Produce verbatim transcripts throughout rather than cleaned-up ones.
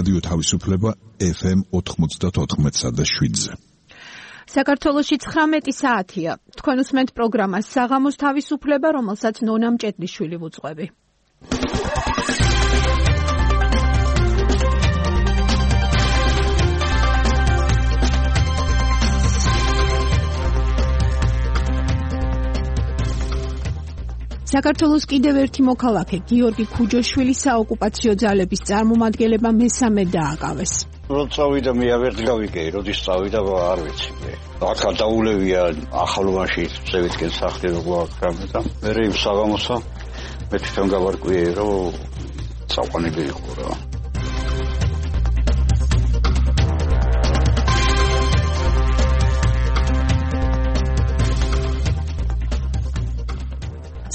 რადიო თავისუფლება ეფ ემ ოთხმოცდათოთხმეტსა და შვიდზე. საქართველოში ცხრამეტი საათია. თქვენ უსმენთ პროგრამას საღამოს თავისუფლება, რომელსაც ნონა მჭედლიშვილი ვუძღვები. საქართველოს კიდევ ერთი მოქალაქე გიორგი ქუჯოშვილი საოკუპაციო ძალების წარმომადგენლება მესამე დააკავეს. როცა წავიდა მე ვერ გავიგე, როდის წავიდა არ ვიცი მე. აქ დაულევია ახალოვანში ზევისკენ სახლი როგორ აქრამე და მე იმ საღამოსა მე თვითონ გავარკვიე რომ წაყვანილი იყო რა.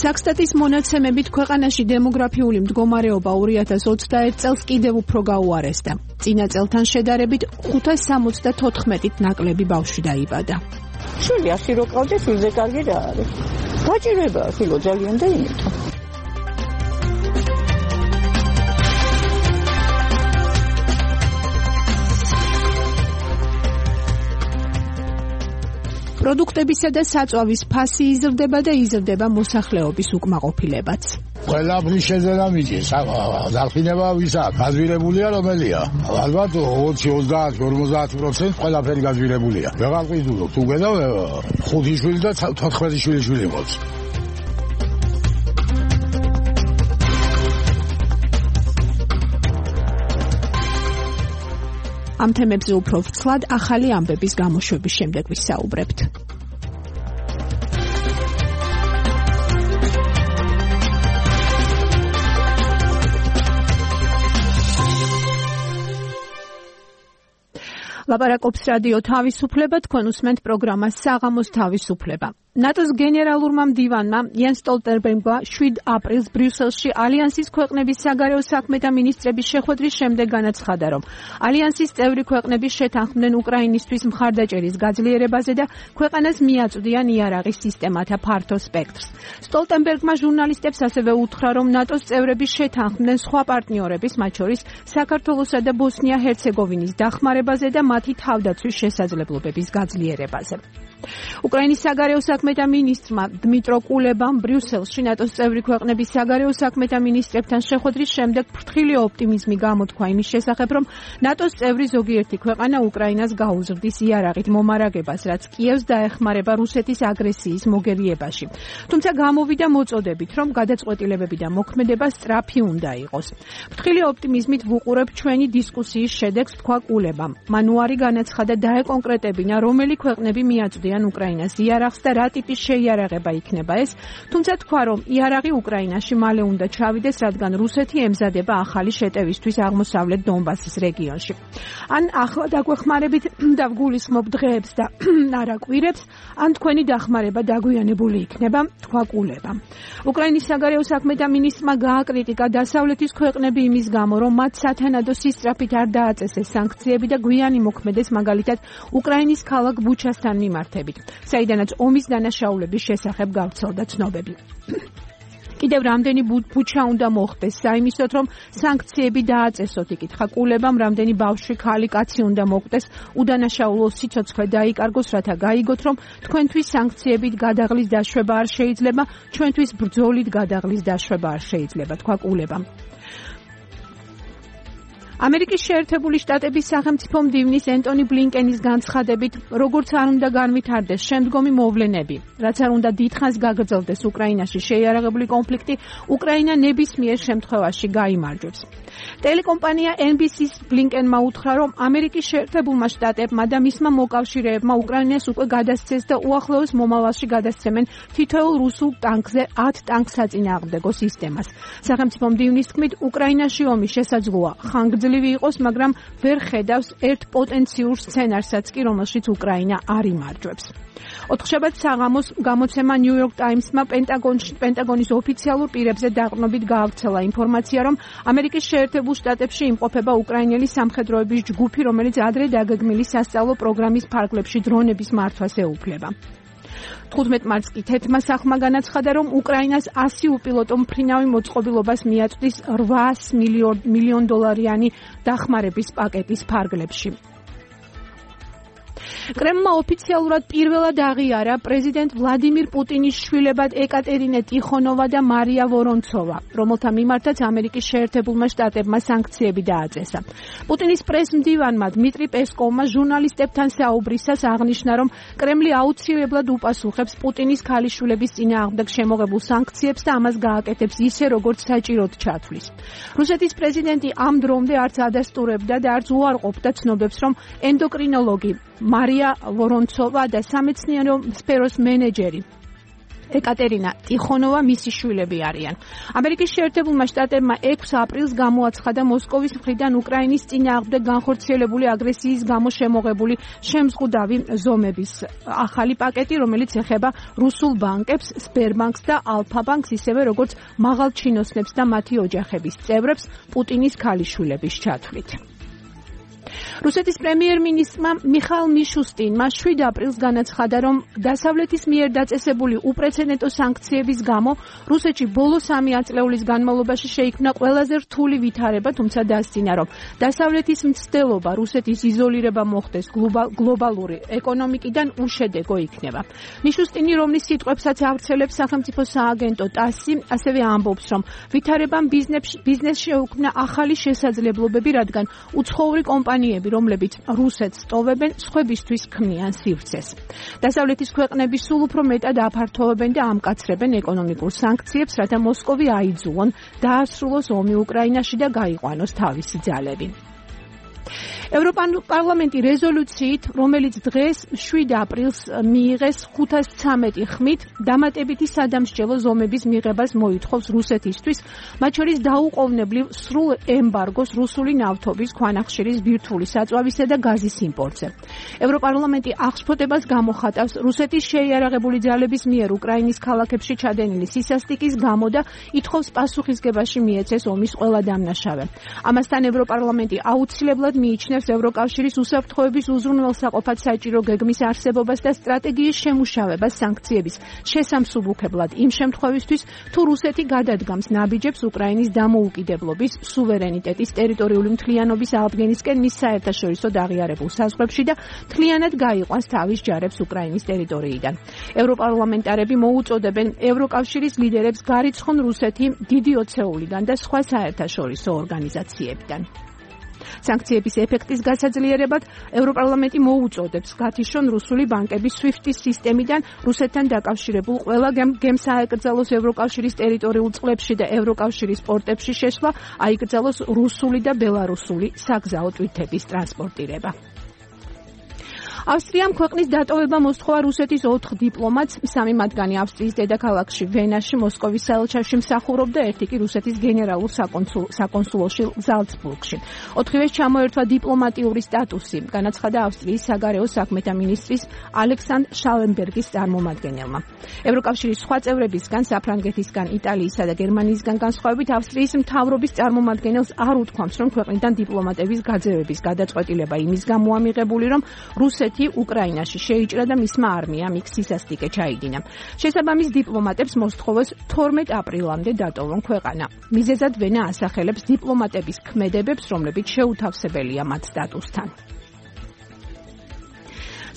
საქსტატის მონაცემებით ქვეყანაში დემოგრაფიული მდგომარეობა ორი ათას ოცდაერთ წელს კიდევ უფრო გაუარესდა. წინა წელთან შედარებით ხუთას სამოცდათოთხმეტით ნაკლები ბავშვი დაიბადა. შვილი ასი რო ყავდა, შვილზე კარგი რა არის. გაჭირვება ფილო ძალიან და იმიტომ. პროდუქტებისა და საწვავის ფასი იზრდება და იზრდება მოსახლეობის უკმაყოფილებაც. ყველაფრის შეძენა მიჭირს. დარფინება ვისა? გაძვირებულია რომელია? ალბათ ოცი, ოცდაათი, ორმოცდაათი პროცენტი ყველაფერი გაძვირებულია. ვეღარ ყიდულობ. თუ გედა ხუთი შვილი და თოთხმეტი შვილი შვილი მოც. ამ თემებზე უფრო ვრცლად ახალი ამბების გამოშვების შემდეგ ვისაუბრებთ. ლაპარაკობს რადიო თავისუფლება, თქვენ უსმენთ პროგრამას საღამოს თავისუფლება. ნატოს გენერალურმა მდივანმა იან სტოლტენბერგმა შვიდ აპრილს ბრიუსელში ალიანსის ქვეყნების საგარეო საქმეთა მინისტრების შეხვედრის შემდეგ განაცხადა, რომ ალიანსის წევრი ქვეყნები შეთანხმდნენ უკრაინისთვის მხარდაჭერის გაძლიერებაზე და ქვეყანას მიაწვდიან იარაღის სისტემათა ფართო სპექტრს. სტოლტენბერგმა ჟურნალისტებს ასევე უთხრა, რომ ნატოს წევრები შეთანხმდნენ სხვა პარტნიორების, მათ შორის საქართველოსა და ბოსნია-ჰერცეგოვინის დახმარებაზე და მათი თავდაცვის შესაძლებლობების გაძლიერებაზე. უკრაინის საგარეო საქმეთა მინისტრმა დმიტრო კულებამ ბრიუსელში ნატოს წევრი ქვეყნების საგარეო საქმეთა მინისტრებთან შეხვედრის შემდეგ ფრთხილი ოპტიმიზმი გამოთქვა იმის შესახებ, რომ ნატოს წევრი ზოგიერთი ქვეყანა უკრაინას გაუზრდის იარაღით მომარაგებას, რაც კიევს დაეხმარება რუსეთის აგრესიის მოგერიებაში. თუმცა გამოვიდა მოწოდებით, რომ გადაწყვეტილებები და მოქმედება სწრაფი უნდა იყოს. ფრთხილი ოპტიმიზმით ვუყურებ ჩვენი დისკუსიის შედეგს, თქვა კულებამ. მან უარი განაცხადა დაეკონკრეტებინა, რომელი ქვეყნები მიაწვდიან უკრაინას იარაღს და რა ტიპის შეიარაღება იქნება ეს, თუმცა თქვა, რომ იარაღი უკრაინაში მალე უნდა ჩავიდეს, რადგან რუსეთი ემზადება ახალი შეტევისთვის აღმოსავლეთ დონბასის რეგიონში. ან ახლა დაგვეხმარებით და ვგულისხმობ დღეებს და არა კვირებს, ან თქვენი დახმარება დაგვიანებული იქნება, თქვა კულებამ. უკრაინის საგარეო საქმეთა მინისტრმა გააკრიტიკა დასავლეთის ქვეყნები იმის გამო, რომ მათ სათანადო სისწრაფით არ დააწესეს სანქციები და გვიანი მოქმედეს მაგალითად უკრაინის ქალაქ ბუჩასთან მიმართებით, საიდანაც ომის დანაშაულების შესახებ გავრცელდა ცნობები. კიდევ რამდენი ბუჩა უნდა მოხდეს საიმისოდ, რომ სანქციები დააწესოთ, იკითხა კულებამ, რამდენი ბავშვი, ქალი, კაცი უნდა მოკვდეს, უდანაშაულო სიცოცხლე დაიკარგოს, რათა გაიგოთ, რომ თქვენთვის სანქციებით გადაღლის დაშვება არ შეიძლება, ჩვენთვის ბრძოლით გადაღლის დაშვება არ შეიძლება, თქვა კულებამ. ამერიკის შეერთებული შტატების სახელმწიფო მდივნის ენტონი ბლინკენის განცხადებით, როგორც არ უნდა განვითარდეს შემდგომი მოვლენები, რაც არ უნდა დიდხანს გაგრძელდეს უკრაინაში შეიარაღებული კონფლიქტი, უკრაინა ნებისმიერ შემთხვევაში გაიმარჯვებს. ტელეკომპანია ენ ბი სი-ს ბლინკენმა უთხრა, რომ ამერიკის შეერთებულმა შტატებმა და მისმა მოკავშირეებმა უკრაინას უკვე გადასცეს და უახლოეს მომავალში გადასცემენ თითოეულ რუსულ ტანკზე ათ ტანკსაწინააღმდეგო სისტემას. სახელმწიფო მდივნის თქმით, უკრაინაში ომი შესაძლოა ხანგრძლივი იყოს, მაგრამ ვერ ხედავს ერთ პოტენციურ სცენარსაც კი, რომელშიც უკრაინა არ იმარჯვებს. ოთხშაბათს საღამოს გამოცემა New York Times-მა პენტაგონის ოფიციალურ პირებზე დაყრდნობით გაავრცელა ინფორმაცია, რომ ამერიკის შეერთებულ შტატებში იმყოფება უკრაინელი სამხედროების ჯგუფი, რომელიც ადრე დაგეგმილი სასწავლო პროგრამის ფარგლებში დრონების მართვას ეუფლება. თხუთმეტ მარტს კი თეთრმა სახმა განაცხადა, რომ უკრაინას ასი უპილოტო მფრინავი მოწყობილობას მიაწვდის რვაას მილიონ დოლარიანი დახმარების პაკეტის ფარგლებში. კრემლმა ოფიციალურად პირველად აღიარა პრეზიდენტ ვლადიმირ პუტინის შვილებად ეკატერინე ტიხონოვა და მარია ვორონცოვა, რომელთა მიმართაც ამერიკის შეერთებულმა შტატებმა სანქციები დააწესა. პუტინის პრესმდივანმა დმიტრი პესკოვმა ჟურნალისტებთან საუბრისას აღნიშნა, რომ კრემლი აუცილებლად უპასუხებს პუტინის ქალიშვილების წინააღმდეგ შემოღებულ სანქციებს და ამას გააკეთებს ისე, როგორც საჭიროდ ჩათვლის. რუსეთის პრეზიდენტი ამ დრომდე არც ადასტურებდა და არც უარყოფდა ცნობებს, რომ ენდოკრინოლოგი მარია ვორონცოვა და სამეცნიერო სფეროს მენეჯერი ეკატერინა ტიხონოვა მისი შვილები არიან. ამერიკის შეერთებულმა შტატებმა ექვსი აპრილს გამოაცხადა მოსკოვის მხრიდან უკრაინის წინააღმდეგ განხორციელებული აგრესიის გამო შემოღებული შემზღუდავი ზომების ახალი პაკეტი, რომელიც ეხება რუსულ ბანკებს, სბერბანკს და ალფა-ბანკს, ისევე როგორც მაღალჩინოსნებს და მათი ოჯახების წევრებს პუტინის ქალიშვილების ჩათვლით. რუსეთის პრემიერ-მინისტრმა მიხაილ მიშუსტინმა შვიდ აპრილს განაცხადა, რომ დასავლეთის მიერ დაწესებული უპრეცედენტო სანქციების გამო რუსეთში ბოლო სამი ათწლეულის განმავლობაში შეიქმნა ყველაზე რთული ვითარება, თუმცა დასძინა, რომ დასავლეთის მცდელობა რუსეთის იზოლირება მოხდეს გლობალური ეკონომიკიდან უშედეგო იქნება. მიშუსტინი, რომლის სიტყვებსაც ავრცელებს სახელმწიფო სააგენტო ტასი, ასევე ამბობს, რომ ვითარებამ ბიზნესში შეუქმნა ახალი შესაძლებლობები, რადგან უცხოური კომპანიები, რომლებიც რუსეთს ტოვებენ, სხვებისთვის ქმნიან სივრცეს. დასავლეთის ქვეყნები სულ უფრო მეტად აფართოვებენ და ამკაცრებენ ეკონომიკურ სანქციებს, რათა მოსკოვი აიძულონ დაასრულოს ომი უკრაინაში და გაიყვანოს თავისი ძალები. ევროპარლამენტი რეზოლუციით, რომელიც დღეს შვიდ აპრილს მიიღეს ხუთას ცამეტი ხმით, დამატებითი სადამსჯელო ზომების მიღებას მოითხოვს რუსეთისთვის, მათ შორის დაუყოვნებლივ სრულ ემბარგოს რუსული ნავთობის, ქვანახშირის, ბირთვული საწვავისა და გაზის იმპორტზე. ევროპარლამენტი აღშფოთებას გამოხატავს რუსეთის შეიარაღებული ძალების მიერ უკრაინის ქალაქებში ჩადენილი სისასტიკის გამო და ითხოვს პასუხისგებაში მიეცეს ომის ყველა დამნაშავე. ამასთან ევროპარლამენტი აუცილებლად მიიჩნევს ევროკავშირის უსაფრთხოების უზრუნველსაყოფად საჭირო გეგმის არსებობას და სტრატეგიის შემუშავებას სანქციების შესამსუბუქებლად იმ შემთხვევისთვის, თუ რუსეთი გადადგამს ნაბიჯებს უკრაინის დამოუკიდებლობის, სუვერენიტეტის, ტერიტორიული მთლიანობის აღდგენისკენ მის საერთაშორისო აღიარებულ საზღვრებში და მთლიანად გაიყვანს თავის ჯარებს უკრაინის ტერიტორიიდან. ევროპარლამენტარები მოუწოდებენ ევროკავშირის ლიდერებს გარიცხონ რუსეთი დიდი ოცეულიდან და სხვა საერთაშორისო ორგანიზაციებიდან. სანქციების ეფექტის გასაძლიერებად ევროპარლამენტი მოუწოდებს გათიშონ რუსული ბანკების სვიფტის სისტემიდან რუსეთთან დაკავშირებულ ყველა გემს აეკრძალოს ევროკავშირის ტერიტორიულ წყლებში და ევროკავშირის პორტებში შეშლა, აიკრძალოს რუსული და ბელარუსული საგზაო ტვირთების ტრანსპორტირება. ავსტრიამ ქვეყნის დატოვება მოსთხოვა რუსეთის ოთხ დიპლომატს, სამი მათგანი ავსტრიის დედაქალაქში ვენაში, მოსკოვის საელჩოში მსახურობდა, ერთი კი რუსეთის გენერალურ საკონსულოში ზალცბურგში. ოთხივეს ჩამოერთვა დიპლომატიური სტატუსი, განაცხადა ავსტრიის საგარეო საქმეთა მინისტრის ალექსანდრ შალენბერგის წარმომადგენელმა. ევროკავშირის სხვა წევრებისგან, საფრანგეთისგან, იტალიისა და გერმანიისგან განსხვავებით, ავსტრიის მთავრობის წარმომადგენელს არ უთქვამს, რომ ქვეყნიდან დიპლომატების გაძევების გადაწყვეტილება იმის გამო ამიღებული, რომ რუსეთი უკრაინაში შეიჭრა და მისმა არმიამ იქ სისასტიკე ჩაიდინა. შესაბამის დიპლომატებს მოსთხოვეს თორმეტ აპრილამდე დატოვონ ქვეყანა. მიზეზად ვენა ასახელებს დიპლომატების ქმედებებს, რომლებიც შეუთავსებელია მათ სტატუსთან.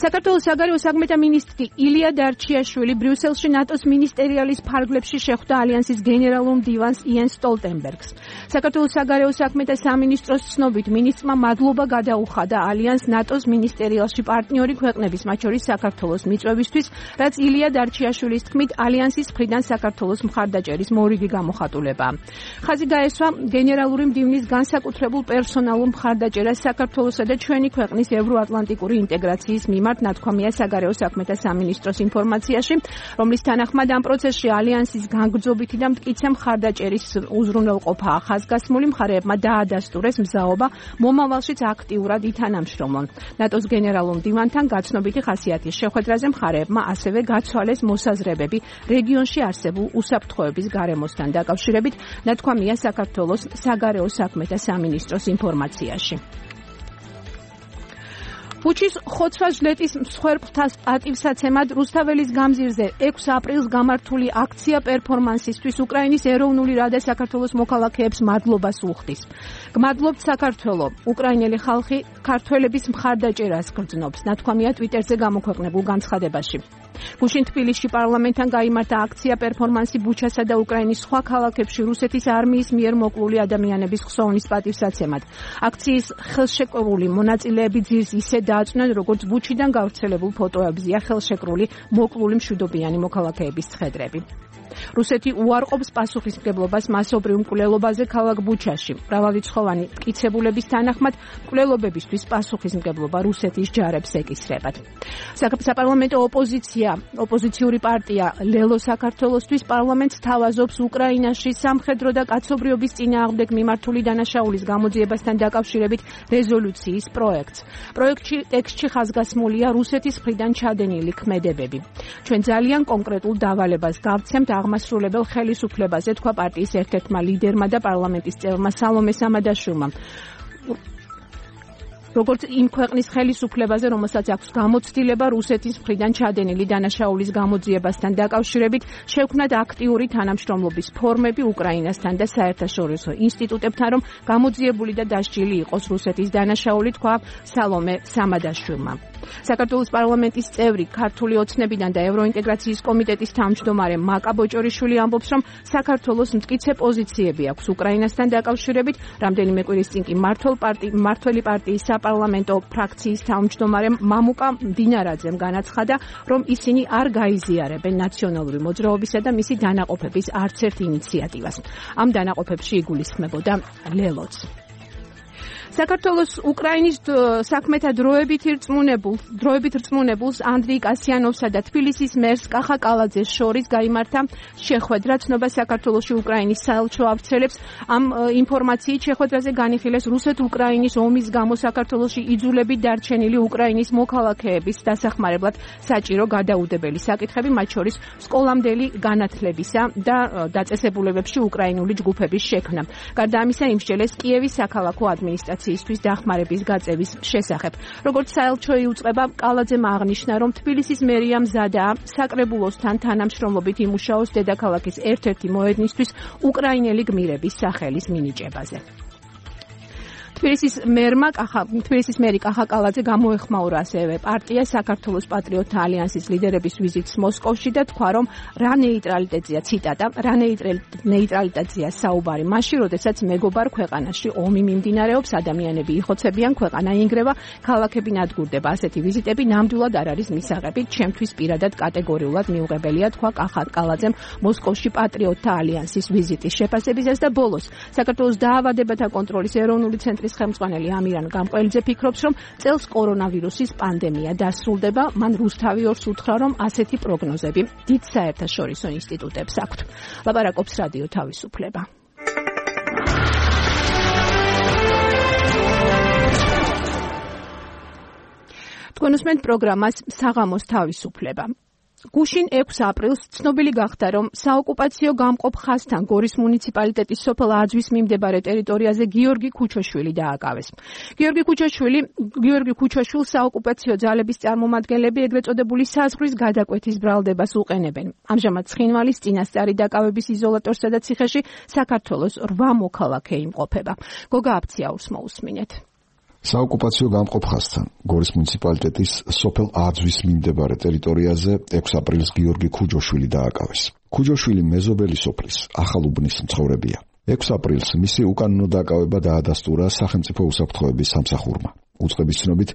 საქართველოს საგარეო საქმეთა მინისტრი ილია დარჩიაშვილი ბრიუსელში ნატოს მინისტერიალის ფარგლებში შეხვდა ალიანსის გენერალურ მდივანს იენს სტოლტენბერგს. საქართველოს საგარეო საქმეთა სამინისტროს ცნობით მინისტრმა მადლობა გადაუხადა ალიანს ნატოს მინისტერიალში პარტნიორი ქვეყნების, მათ შორის საქართველოს მიწვევისთვის, რაც ილია დარჩიაშვილის თქმით ალიანსის მხრიდან საქართველოს მხარდაჭერის მორიგი გამოხატულებაა. ხაზი გაესვა გენერალური მდივნის განსაკუთრებულ პერსონალურ მხარდაჭერას საქართველოსა და ჩვენი ქვეყნის ევროატლანტიკური ინტეგრაციის მიმართ, ნათქვამია საგარეო საქმეთა სამინისტროს ინფორმაციაში, რომლის თანახმად ამ პროცესში ალიანსის განგრძობითი და მტკიცე მხარდაჭერის უზრუნველყოფაა ხაზგასმული, მხარეებმა დაადასტურეს მზაობა მომავალშიც აქტიურად ითანამშრომლონ. ნატოს გენერალურ მდივანთან გაცნობითი ხასიათის შეხვედრაზე მხარეებმა ასევე გაცვალეს მოსაზრებები რეგიონში არსებულ უსაფრთხოების გარემოსთან დაკავშირებით, ნათქვამია საქართველოს საგარეო საქმეთა სამინისტროს ინფორმაციაში. ბუჩის ხოცვა-ჟლეტის მსხვერპლთა პატივსაცემად რუსთაველის გამზირზე ექვსი აპრილს გამართული აქცია პერფორმანსისთვის უკრაინის ეროვნული რადა საქართველოს მოქალაქეებს მადლობას უხდის. გმადლობთ საქართველო, უკრაინელი ხალხი ქართველების მხარდაჭერას გრძნობს, ნათქვამია ტვიტერზე გამოქვეყნებულ განცხადებაში. გუშინ თბილისში პარლამენტთან გაიმართა აქცია პერფორმანსი ბუჩასა და უკრაინის სხვა ქალაქებში რუსეთის არმიის მიერ მოკლული ადამიანების ხსოვნის პატივსაცემად. აქციის ხელშეკრულებული მონაწილეები ძირს ისე დააწვნენ, როგორც ბუჩიდან გავრცელებულ ფოტოებზეა ხელშეკრული მოკლული მშვიდობიანი მოქალაქეების ცხედრები. რუსეთი უარყოფს პასუხისმგებლობას მასობრივ მკვლელობაზე ქალაქ ბუჩაში. მრავალრიცხოვანი მტკიცებულების თანახმად მკვლელობებისთვის პასუხისმგებლობა რუსეთის ჯარებს ეკისრებათ. საპარლამენტო ოპოზიცია, ოპოზიციური პარტია ლელო საქართველოსთვის პარლამენტს თავაზობს უკრაინაში სამხედრო და კაცობრიობის წინააღმდეგ მიმართული დანაშაულის გამოძიებასთან დაკავშირებით რეზოლუციის პროექტს. პროექტში ტექსტში ხაზგასმულია რუსეთის მხრიდან ჩადენილი ქმედებები. ჩვენ ძალიან კონკრეტულ დავალებას გავცემთ აღმასრულებელ ხელისუფლებაზე, თქვა პარტიის ერთ-ერთმა ლიდერმა და პარლამენტის წევრმა სალომე სამადაშვილმა. როგორც იმ ქვეყნის ხელისუფლებაზე, რომელსაც აქვს გამოცდილება რუსეთის მხრიდან ჩადენილი დანაშაულის გამოძიებასთან დაკავშირებით, შევქმნათ აქტიური თანამშრომლობის ფორმები უკრაინასთან და საერთაშორისო ინსტიტუტებთან, რომ გამოძიებული და დასჯილი იყოს რუსეთის დანაშაული, თქვა სალომე სამადაშვილმა. საქართველოს პარლამენტის წევრი, ქართული ოცნებიდან და ევროინტეგრაციის კომიტეტის თავმჯდომარე მაკა ბოჭორიშვილი ამბობს, რომ საქართველოს მტკიცე პოზიციები აქვს უკრაინასთან დაკავშირებით. რამდენიმე კვირის წინ კი მმართველი პარტიის საპარლამენტო ფრაქციის თავმჯდომარემ მამუკა მდინარაძემ განაცხადა, რომ ისინი არ გაიზიარებენ ნაციონალური მოძრაობისა და მისი დანაყოფების არც ერთ ინიციატივას. ამ დანაყოფებში იგულისხმებოდა ლელოც. საქართველოს უკრაინის საქმეთა დროებით ირწმუნებულ, დროებით რწმუნებულს ანდრეი კასიანოვსა და თბილისის მერს კახა კალაძეს შორის გაიმართა შეხვედრა. ცნობა საქართველოში უკრაინის საელჩო ავრცელებს. ამ ინფორმაციით შეხვედრაზე განიხილეს რუსეთ-უკრაინის ომის გამო საქართველოში იძულებით დარჩენილი უკრაინის მოქალაქეების დასახმარებლად საჭირო გადაუდებელი საკითხები, მათ შორის სკოლამდელი განათლებისა და დაწესებულებებში უკრაინული ჯგუფების შექმნა. გარდა ამისა, იმსჯელეს კიევის საქალაქო ადმინისტრაცია ისთვის დახმარების გაწევის შესახებ. როგორც საელჩო იუწყება, კალაძემ აღნიშნა, რომ თბილისის მერია მზადაა საკრებულოსთან თანამშრომლობით იმუშაოს დედაქალაქის ერთ-ერთი მოედნისთვის უკრაინელი გმირების სახელის მინიჭებაზე. თბილისის მერმა კახა თბილისის მერი კახა კალაძე გამოეხმაურა ასევე პარტია საქართველოს პატრიოტთა ალიანსის ლიდერების ვიზიტს მოსკოვში და თქვა, რომ რა ნეიტრალიტეტია, ციტატა, რა ნეიტრალიტეტია საუბარი მაშინ, როდესაც მეგობარ ქვეყანაში ომი მიმდინარეობს, ადამიანები იხოცებიან, ქვეყანა ინგრევა, ქალაქები ნადგურდება. ასეთი ვიზიტები ნამდვილად არ არის მისაღები, ჩემთვის პირადად კატეგორიულად მიუღებელია, თქვა კახა კალაძემ მოსკოვში პატრიოტთა ალიანსის ვიზიტის შეფასებისას და ბოლოს საქართველოს დაავადებათა კონტროლის ეროვნული ცენტრის ხელმძღვანელი ამირან გამყველიძე ფიქრობს, რომ წელს კორონავირუსის პანდემია დასრულდება. მან რუსთავი ორს უთხრა, რომ ასეთი პროგნოზები დიდ საერთაშორისო ინსტიტუტებს აქვთ. ლაპარაკობს რადიო თავისუფლება. თქვენ უსმენთ პროგრამას საღამოს თავისუფლება. გუშინ ექვსი აპრილს ცნობილი გახდა, რომ საოკუპაციო გამყოფ ხაზთან გორის მუნიციპალიტეტის სოფელ აძვის მიმდებარე ტერიტორიაზე გიორგი ქუჩოშვილი დააკავეს. გიორგი ქუჩოშვილი, გიორგი ქუჩოშვილს საოკუპაციო ძალების წარმომადგენლები ეგრეთ წოდებული საზღვრის გადაკვეთის ბრალდებას უყენებენ. ამჟამად ცხინვალის წინასწარი დაკავების იზოლატორსა და ციხეში საქართველოს რვა მოქალაქე იმყოფება. გოგა აფციაურს მოусმინეთ. საოკუპაციო გამყოფ ხაზთან გორის მუნიციპალიტეტის სოფელ აძვის მიმდებარე ტერიტორიაზე ექვსი აპრილს გიორგი ქუჯოშვილი დააკავეს. ქუჯოშვილი მეზობელი სოფლის ახალუბნის მცხოვრებია. ექვსი აპრილს მისი უკანონო დაკავება დაადასტურა სახელმწიფო უსაფრთხოების სამსახურმა. უწყების ცნობით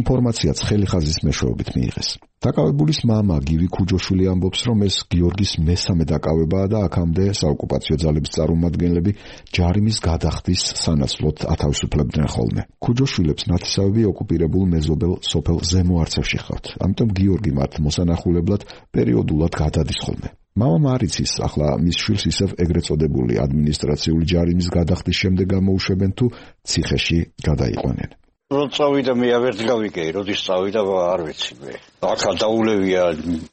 ინფორმაციაც ხელი ხაზის მეშვეობით მიიღეს. დაკავებულის მამა გივი ქუჯოშვილი ამბობს, რომ ეს გიორგის მესამე დაკავებაა და აქამდე საოკუპაციო ძალების წარმომადგენლები ჯარიმის გადახდის სანაცვლოდ ათავისუფლებდნენ ხოლმე. ქუჯოშვილებს ნათესავები ოკუპირებულ მეზობელ სოფელ ზემო არცევში ხავთ, ამიტომ გიორგი მათ მოსანახულებლად პერიოდულად გადადის ხოლმე. მამამ არ იცის, ახლა მის შვილს ისევ ეგრეთ წოდებული ადმინისტრაციული ჯარიმის გადახდის შემდეგ გამოუშვებენ თუ ციხეში გადაიყვანენ. რო წავიდა მე ავერთ გავიგე, როდის წავიდა არ ვიცი მე. ახლა დაულევია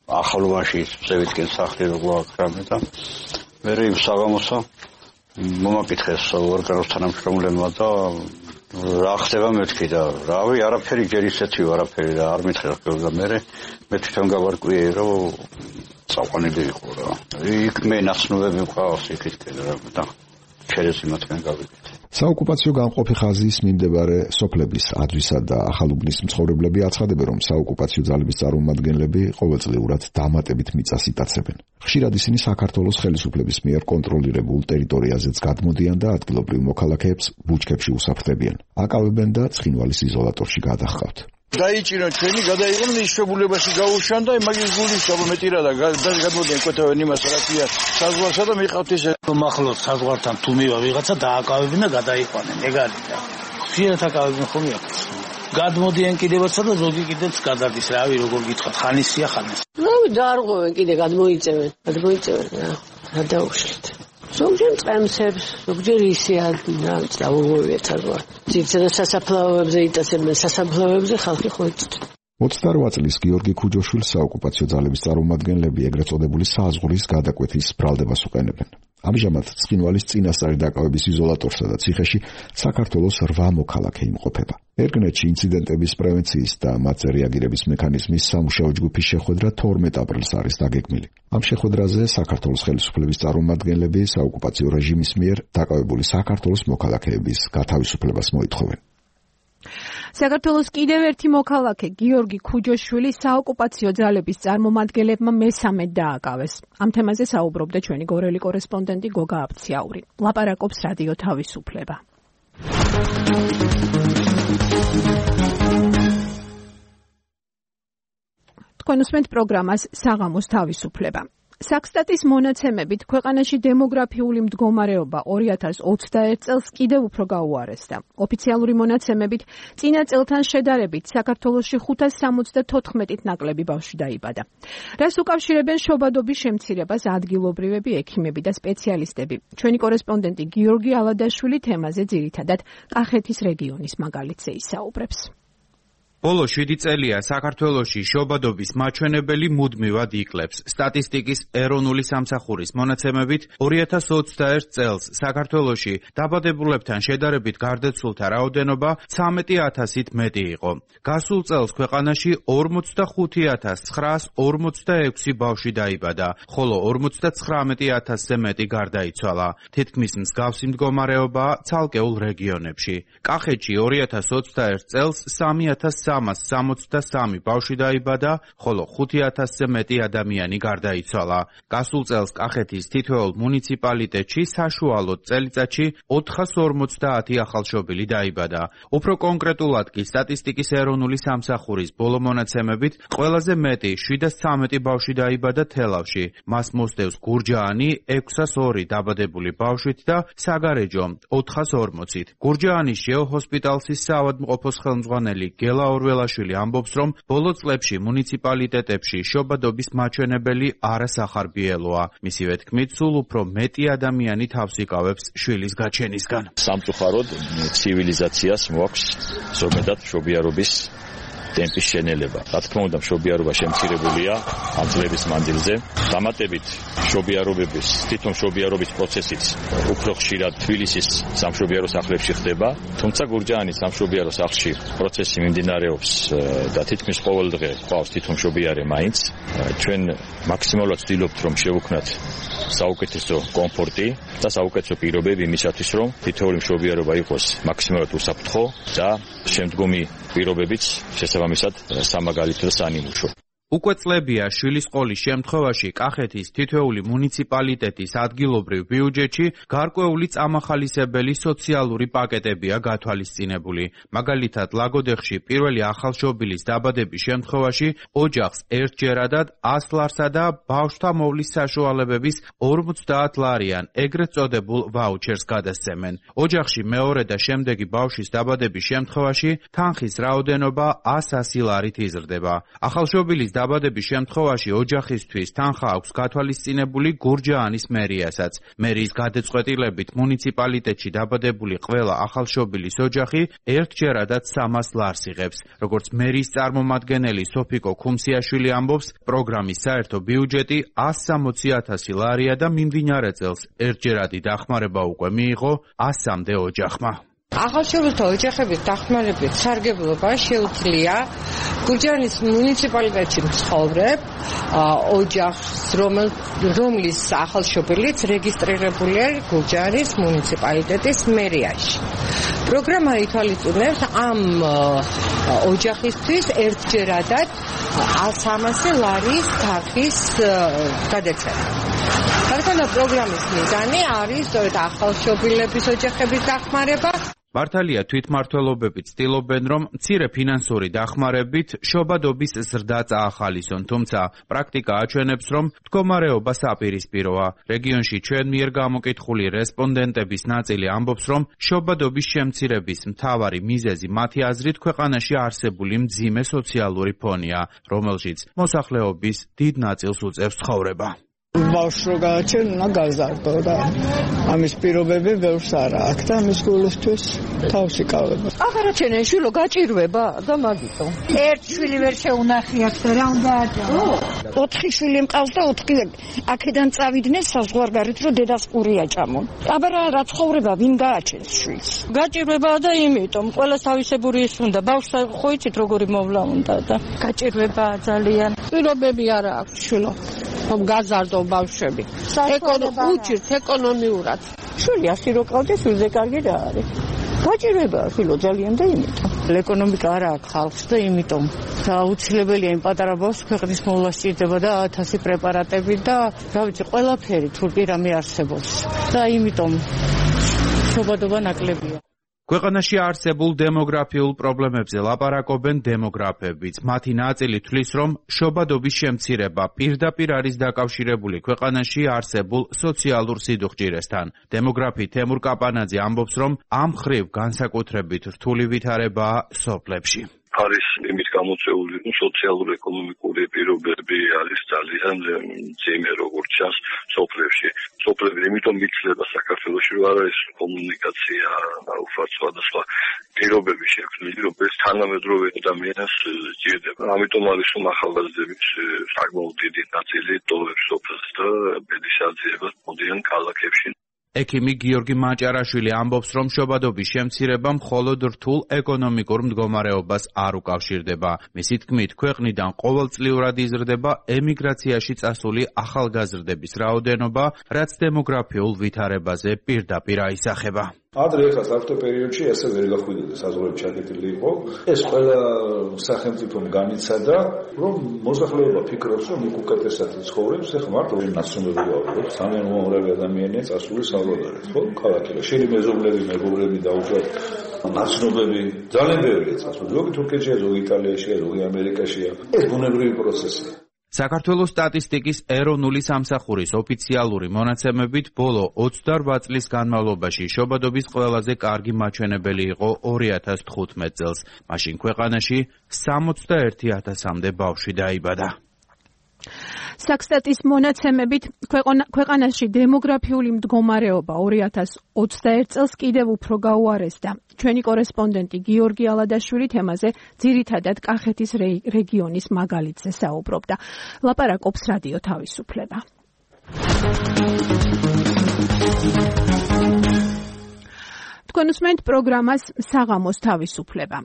ახალობაში წევიდგენ სახლი როგორ აკრამე და მე იმ საღამოსა მომაკითხეს ორგანოს თანამშრომლებმა და რა ხდება მეთქი და რავი არაფერი ჯერ ისეთი არაფერი და არ მითხრა და მე მე თვითონ გავარკვიე რომ წაყვანილი იყო რა იქ მე ნაცნობები მყავს იქით და შეიძლება მათგან გავიგეთ საოკუპაციო გამყოფი ხაზის მიმდებარე სოფლების აძვისა და ახალუბნის მცხოვრებლები აცხადებენ, რომ საოკუპაციო ძალების წარმომადგენლები ყოველწლიურად დამატებით მიწას იტაცებენ. ხშირად ისინი საქართველოს ხელისუფლების მიერ კონტროლირებულ ტერიტორიაზეც გადმოდიან და ადგილობრივ მოქალაქეებს ბუჩქებში უსაფრთხებიან. აკავებენ და ცხინვალის იზოლატორში გადაჰყავთ. დაიჭირონ ჩვენი გადაიღონ ისშებულებაში გაუშვან და მაგის გულის გამეტირა და გადმოდიან კვეთავენ იმას რაკია საზღვარსა და მიყავთ ესე მახლოს საზღვართან თუ მივა ვიღაცა დააკავებენ და გადაიყვანენ ეგარი და ხშირად აკავებენ ხომ აქვს გადმოდიან კიდევაცა და ზოგი კიდეც გადადის რავი როგორ გითხრათ ხანისია ხანს რავი დაარღვევენ კიდე გადმოიწევენ გადმოიწევენ რა რა დაუშვით ზოგჯერ წემსებს, ზოგჯერ ისეა წავუვევიათ საზღვარ. ძირითადად სასაფლაოებზე იტაცებენ, სასაფლაოებზე ხალხი ხვეწთ. ოცდარვა წლის გიორგი ქუჯოშვილს საოკუპაციო ძალების წარმომადგენლები ეგრეთ წოდებული საზღვრის გადაკვეთის ბრალდებას უყენებენ. ამჟამად ცხინვალის წინასწარი დაკავების იზოლატორსა და ციხეში საქართველოს რვა მოქალაქე იმყოფება. ერგნეთში ინციდენტების პრევენციის და მათზე რეაგირების მექანიზმის სამუშაო ჯგუფის შეხვედრა თორმეტ აპრილს არის დაგეგმილი. ამ შეხვედრაზე საქართველოს ხელისუფლების წარმომადგენლები საოკუპაციო რეჟიმის მიერ დაკავებული საქართველოს მოქალაქეების გათავისუფლებას მოითხოვენ. საქართველოს კიდევ ერთი მოქალაქე გიორგი ქუჯოშვილი საოკუპაციო ძალების წარმომადგენლებმა მესამედ დააკავეს. ამ თემაზე საუბრობდა ჩვენი გორელი კორესპონდენტი გოგა აბციაური. ლაპარაკობს რადიო თავისუფლება. თქვენ უსმენთ პროგრამას საღამოს თავისუფლება. საქსტატის მონაცემებით ქვეყანაში დემოგრაფიული მდგომარეობა ორი ათას ოცდაერთ წელს კიდევ უფრო გაუარესდა. ოფიციალური მონაცემებით წინა წელთან შედარებით საქართველოში ხუთას სამოცდათოთხმეტით ნაკლები ბავშვი დაიბადა. რას უკავშირებენ შობადობის შემცირებას ადგილობრივები ექიმები და სპეციალისტები. ჩვენი კორესპონდენტი გიორგი ალადაშვილი თემაზე ძირითადად კახეთის რეგიონის მაგალითზე ისაუბრებს. ბოლო შვიდი წელია საქართველოში შობადობის მაჩვენებელი მუდმივად იკლებს. სტატისტიკის ეროვნული სამსახურის მონაცემებით ორი ათას ოცდაერთ წელს საქართველოში დაბადებულებთან შედარებით გარდაცვლილთა რაოდენობა ცხრამეტი ათასით მეტი იყო. გასულ წელს ქვეყანაში ორმოცდახუთი ათას ცხრაას ორმოცდაექვსი ბავშვი დაიბადა, ხოლო ორმოცდაცხრამეტი ათასზე მეტი გარდაიცვალა. თითქმის მსგავსი მდგომარეობაა ცალკეულ რეგიონებში. კახეთში ორი ათას ოცდაერთ წელს სამი ათას სამას სამოცდასამი ბავშვი დაიბადა, ხოლო ხუთი ათასზე მეტი ადამიანი გარდაიცვალა. გასულ წელს კახეთის თითოეულ მუნიციპალიტეტში საშუალოდ წელიწადში ოთხას ორმოცდაათი ახალშობილი დაიბადა. უფრო კონკრეტულად კი სტატისტიკის ეროვნული სამსახურის ბოლო მონაცემებით ყველაზე მეტი შვიდას ცხრამეტი ბავშვი დაიბადა თელავში. მას მოსდევს გურჯაანი ექვსას ორი დაბადებული ბავშვით და საგარეჯო ოთხას ორმოცით. გურჯაანის ჟეოჰოსპიტალსის საავადმყოფოს ხელმძღვანელი გელა ორველაშვილი ამბობს, რომ ბოლო წლებში მუნიციპალიტეტებში შობადობის მაჩვენებელი არასახარბიელოა. მისივე თქმით, სულ უფრო მეტი ადამიანი თავს იკავებს შვილის გაჩენისგან. სამწუხაროდ ცივილიზაციას მოაქვს ზოგადად შობიარობის ტემპის შენელება. რა თქმა უნდა, მშობიარობა შემცირებულია ამ წლების მანძილზე. დამატებით მშობიარობების, თვითონ მშობიარობის პროცესიც უფრო ხშირად თბილისის სამშობიარო სახლებში ხდება, თუმცა გურჯაანის სამშობიარო სახლში პროცესი მიმდინარეობს და თითქმის ყოველ დღე ყავს თვითონ მშობიარე მაინც. ჩვენ მაქსიმალურად ვცდილობთ, რომ შევუქმნათ საუკეთესო კომფორტი და საუკეთესო პირობები იმისათვის, რომ თითოეული მშობიარობა იყოს მაქსიმალურად უსაფრთხო და შემდგომი პირობებიც შესაბამისად სამაგალითო და საანიმუშო. უკვე წლებია შვილის ყოლის შემთხვევაში კახეთის თითოეული მუნიციპალიტეტის ადგილობრივ ბიუჯეტში გარკვეული წამახალისებელი სოციალური პაკეტებია გათვალისწინებული. მაგალითად, ლაგოდეხში პირველი ახალშობილის დაბადების შემთხვევაში ოჯახს ერთჯერადად ას ლარსა და ბავშვთა მოვლის საშუალებების ორმოცდაათ ლარიან ეგრეთ წოდებულ ვაუჩერს გადასცემენ. ოჯახში მეორე და შემდეგი ბავშვის დაბადების შემთხვევაში თანხის რაოდენობა ასი ლარით იზრდება. ახალშობილის დაბადების შემთხვევაში ოჯახისთვის თანხა აქვს გათვალისწინებული გურჯაანის მერიასაც. მერიის გადაწყვეტილებით მუნიციპალიტეტში დაბადებული ყველა ახალშობილის ოჯახი ერთჯერადად სამას ლარს იღებს. როგორც მერიის წარმომადგენელი სოფიკო ქუმსიაშვილი ამბობს, პროგრამის საერთო ბიუჯეტი ასი სამოცი ათასი ლარია და მიმდინარე წელს ერთჯერადი დახმარება უკვე მიიღო ასამდე ოჯახმა. ახალშობილთა ოჯახების დახმარებით სარგებლობა შეუძლია გურჯაანის მუნიციპალიტეტში მცხოვრებ ოჯახს, რომლის ახალშობილიც რეგისტრირებულია გურჯაანის მუნიციპალიტეტის მერიაში. პროგრამა ითვალისწინებს ამ ოჯახისთვის ერთჯერადად სამასი ლარის თანხის გადაცემა. გარკვეულ პროგრამის მიზანი არის სწორედ ახალშობილების ოჯახების დახმარება. მართალია თვითმმართველობები ცდილობენ, რომ მცირე ფინანსური დახმარებით შობადობის ზრდა წაახალისონ, თუმცა პრაქტიკა აჩვენებს, რომ მდგომარეობა საპირისპიროა. რეგიონში ჩვენ მიერ გამოკითხული რესპონდენტების ნაწილი ამბობს, რომ შობადობის შემცირების მთავარი მიზეზი მათი აზრით ქვეყანაში არსებული მძიმე სოციალური ფონია, რომელშიც მოსახლეობის დიდ ნაწილს უწევს ცხოვრება. ბავშვს რო გააჩენ, უნდა გაზარდო და ამის პირობები ბევრს არა აქვს და ამის გულისთვის თავს იკავება. აღარა ჩენე შვილო გაჭირვება და მაგიტომ. ერთ შვილი ვერ შეუნახიათ და რა უნდა აჭარო? ოთხი შვილი მყავს და ოთხი აქედან წავიდნენ საზღვარგარეთ რომ დედას ყური აჭამონ. აბარა რა ცხოვრება ვინ გააჩენს შვილს? გაჭირვებაა და იმიტომ ყველა თავისებური ის უნდა ბავშვს ხო იცით როგორი მოვლა უნდა და გაჭირვებაა ძალიან. პირობები არა აქვს შვილო. რომ გაზარდო ბავშვები. უჭირთ ეკონომიურად. შვილი ასი რო ყავდეს, ვილზე კარგი რა არის. გაჭირვებაა შვილო ძალიან და იმიტომ. ეკონომიკა არა აქვს ხალხს და იმიტომ აუცილებელია იმ პატარა ბავშვს ქვეყნის მოვლა სჭირდება და ათასი პრეპარატები და რა ვიცი, ყველაფერი თურმე რამე არსებობს. და იმიტომ შობადობა ნაკლებია. ქვეყანაში არსებულ დემოგრაფიულ პრობლემებზე ლაპარაკობენ დემოგრაფებიც. მათი ნაწილი თვლის, რომ შობადობის შემცირება პირდაპირ არის დაკავშირებული ქვეყანაში არსებულ სოციალურ სიდუხჭირესთან. დემოგრაფი თემურ კაპანაძე ამბობს, რომ ამ მხრივ განსაკუთრებით რთული ვითარებაა სოფლებში. არის იმის გამოწვეული, რომ სოციალურ-ეკონომიკური პირობები არის ძალიან მძიმე, როგორც ჩანს სოფლებში. სოფლები იმიტომ იცლება საქართველოში, რომ არ არის კომუნიკაცია, უბრალოდ სხვადასხვა პირობები შექმნილი, რომელიც თანამედროვე ადამიანს სჭირდება. ამიტომ არის რომ ახალგაზრდების საკმაოდ დიდი ნაწილი ტოვებს სოფელს და ბედის აძიებას მოდიან ქალაქებში. ექიმი გიორგი მაჭარაშვილი ამბობს, რომ შობადობის შემცირება მხოლოდ რთულ ეკონომიკურ მდგომარეობას არ უკავშირდება. მისი თქმით, ქვეყნიდან ყოველწლიურად იზრდება ემიგრაციაში წასული ახალგაზრდების რაოდენობა, რაც დემოგრაფიულ ვითარებაზე პირდაპირ აისახება. ადრე ახლა საფრთხე პერიოდში ესე ვერ გახვიდოდა, საზღვრები ჩაკეტილი იყო. ეს ყველა სახელმწიფომ განიცადა, რომ მოსახლეობა ფიქრობს, რომ იქ უკეთესად ცხოვრებს, ახლა მარტო ნაცნობები ვართ, ძალიან უმაღლესი ადამიანია წასული საზღვარგარეთ, ხო? ქალაქში შენი მეზობლები, მეგობრები დაუშვათ ნაცნობები ძალიან ბევრია წასული. ზოგი თურქეთშია, ზოგი იტალიაშია, ზოგი ამერიკაშია. ეს ბუნებრივი პროცესია. საქართველოს სტატისტიკის ეროვნული სამსახურის ოფიციალური მონაცემებით ბოლო ოცდაორ წლის განმავლობაში შობადობის ყველაზე კარგი მაჩვენებელი იყო ორი ათას თხუთმეტ წელს. მაშინ ქვეყანაში სამოცდაერთი ათასამდე ბავშვი დაიბადა. საქსტატის მონაცემებით ქვეყანაში დემოგრაფიული მდგომარეობა ორი ათას ოცდაერთ წელს კიდევ უფრო გაუარესდა. ჩვენი კორესპონდენტი გიორგი ალადაშვილი თემაზე ძირითადად კახეთის რეგიონის მაგალითზე საუბრობდა. ლაპარაკობს რადიო თავისუფლება. თქვენ უსმენთ პროგრამას საღამოს თავისუფლება.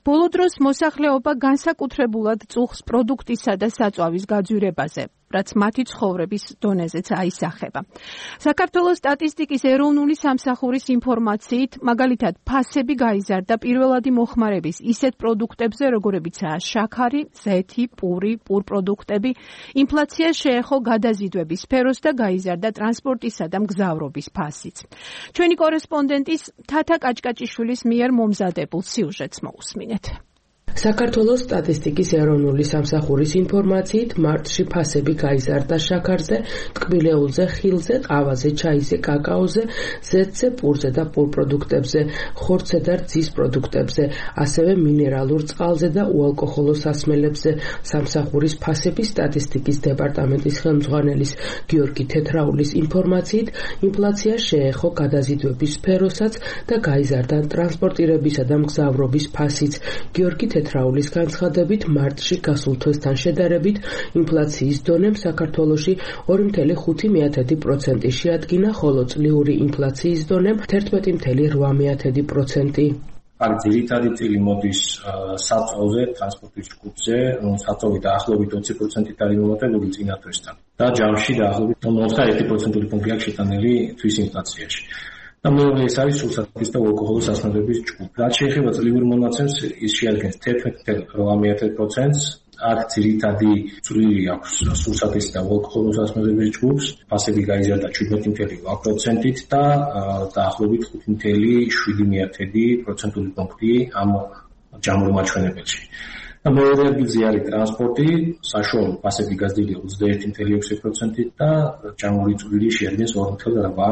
ბოლო დროს მოსახლეობა განსაკუთრებულად წუხს პროდუქტისა და საწვავის გაძვირებაზე, რაც მათი ცხოვრების დონეზეც აისახება. საქართველოს სტატისტიკის ეროვნული სამსახურის ინფორმაციით, მაგალითად, ფასები გაიზარდა პირველადი მოხმარების ისეთ პროდუქტებზე, როგორებიცაა შაქარი, ზეთი, პური, პურპროდუქტები. ინფლაცია შეეხო გადაზიდვების სფეროს და გაიზარდა ტრანსპორტისა და მგზავრობის ფასიც. ჩვენი კორესპონდენტის თათა კაჭკაჭიშვილის მიერ მომზადებულ სიუჟეტს მოусმინეთ. საქართველოს სტატისტიკის ეროვნული სამსახურის ინფორმაციით მარტში ფასები გაიზარდა შაქარზე, ტკბილეულზე, ხილზე, ყავაზე, ჩაიზე, კაკაოზე, ზეთზე, პურზე და პურპროდუქტებზე, ხორცზე და რძის პროდუქტებზე, ასევე მინერალურ წყალზე და უალკოჰოლო სასმელებზე. სამსახურის ფასების სტატისტიკის დეპარტამენტის ხელმძღვანელის გიორგი თეთრაულის ინფორმაციით, ინფლაცია შეეხო გადაზიდვების სფეროსაც და გაიზარდა ტრანსპორტირებისა და მგზავრობის ფასიც. გიორგი ცენტრაულის განცხადებით, მარტში გასულ თვესთან შედარებით ინფლაციის დონემ საქართველოში ორი ფاصლე ხუთი პროცენტი შეადგინა, ხოლო წლიური ინფლაციის დონემ თერთმეტი ფاصლე რვა პროცენტი. აქ ძირითადი წილი მოდის საწოლზე, ტრანსპორტის ჯგუფზე, საწოლი დაახლოებით ოცი პროცენტით არის მომატებული წინა თვესთან. და ჯამში დაახლოებით ოცდაერთი პროცენტული პუნქტი აქვს შეტანილი თვის ინფლაციაში. და მეორე ეს არის სულსათის და ალკოჰოლის ასმებების ჯგუფი. რაც შეეხება წლიურ მონაცემს, ის შეადგენს თერთმეტი ფاصლე რვა პროცენტს. აქ ძირითადი წვლილი აქვს სულსათის და ალკოჰოლის ასმებების ჯგუფს, ფასები გაიზარდა შვიდმეტი ფاصლე რვა პროცენტით და დაახლოებით ხუთი ფاصლე შვიდი პროცენტული პუნქტი ამ ჯამურ მაჩვენებელში. და მეორე ადგილზე არის ტრანსპორტი, საშუალო ფასები გაზრდილია ოცდაერთი ფاصლე ექვსი პროცენტით და ჯამური წვლილი შეადგენს ორი ფاصლე რვა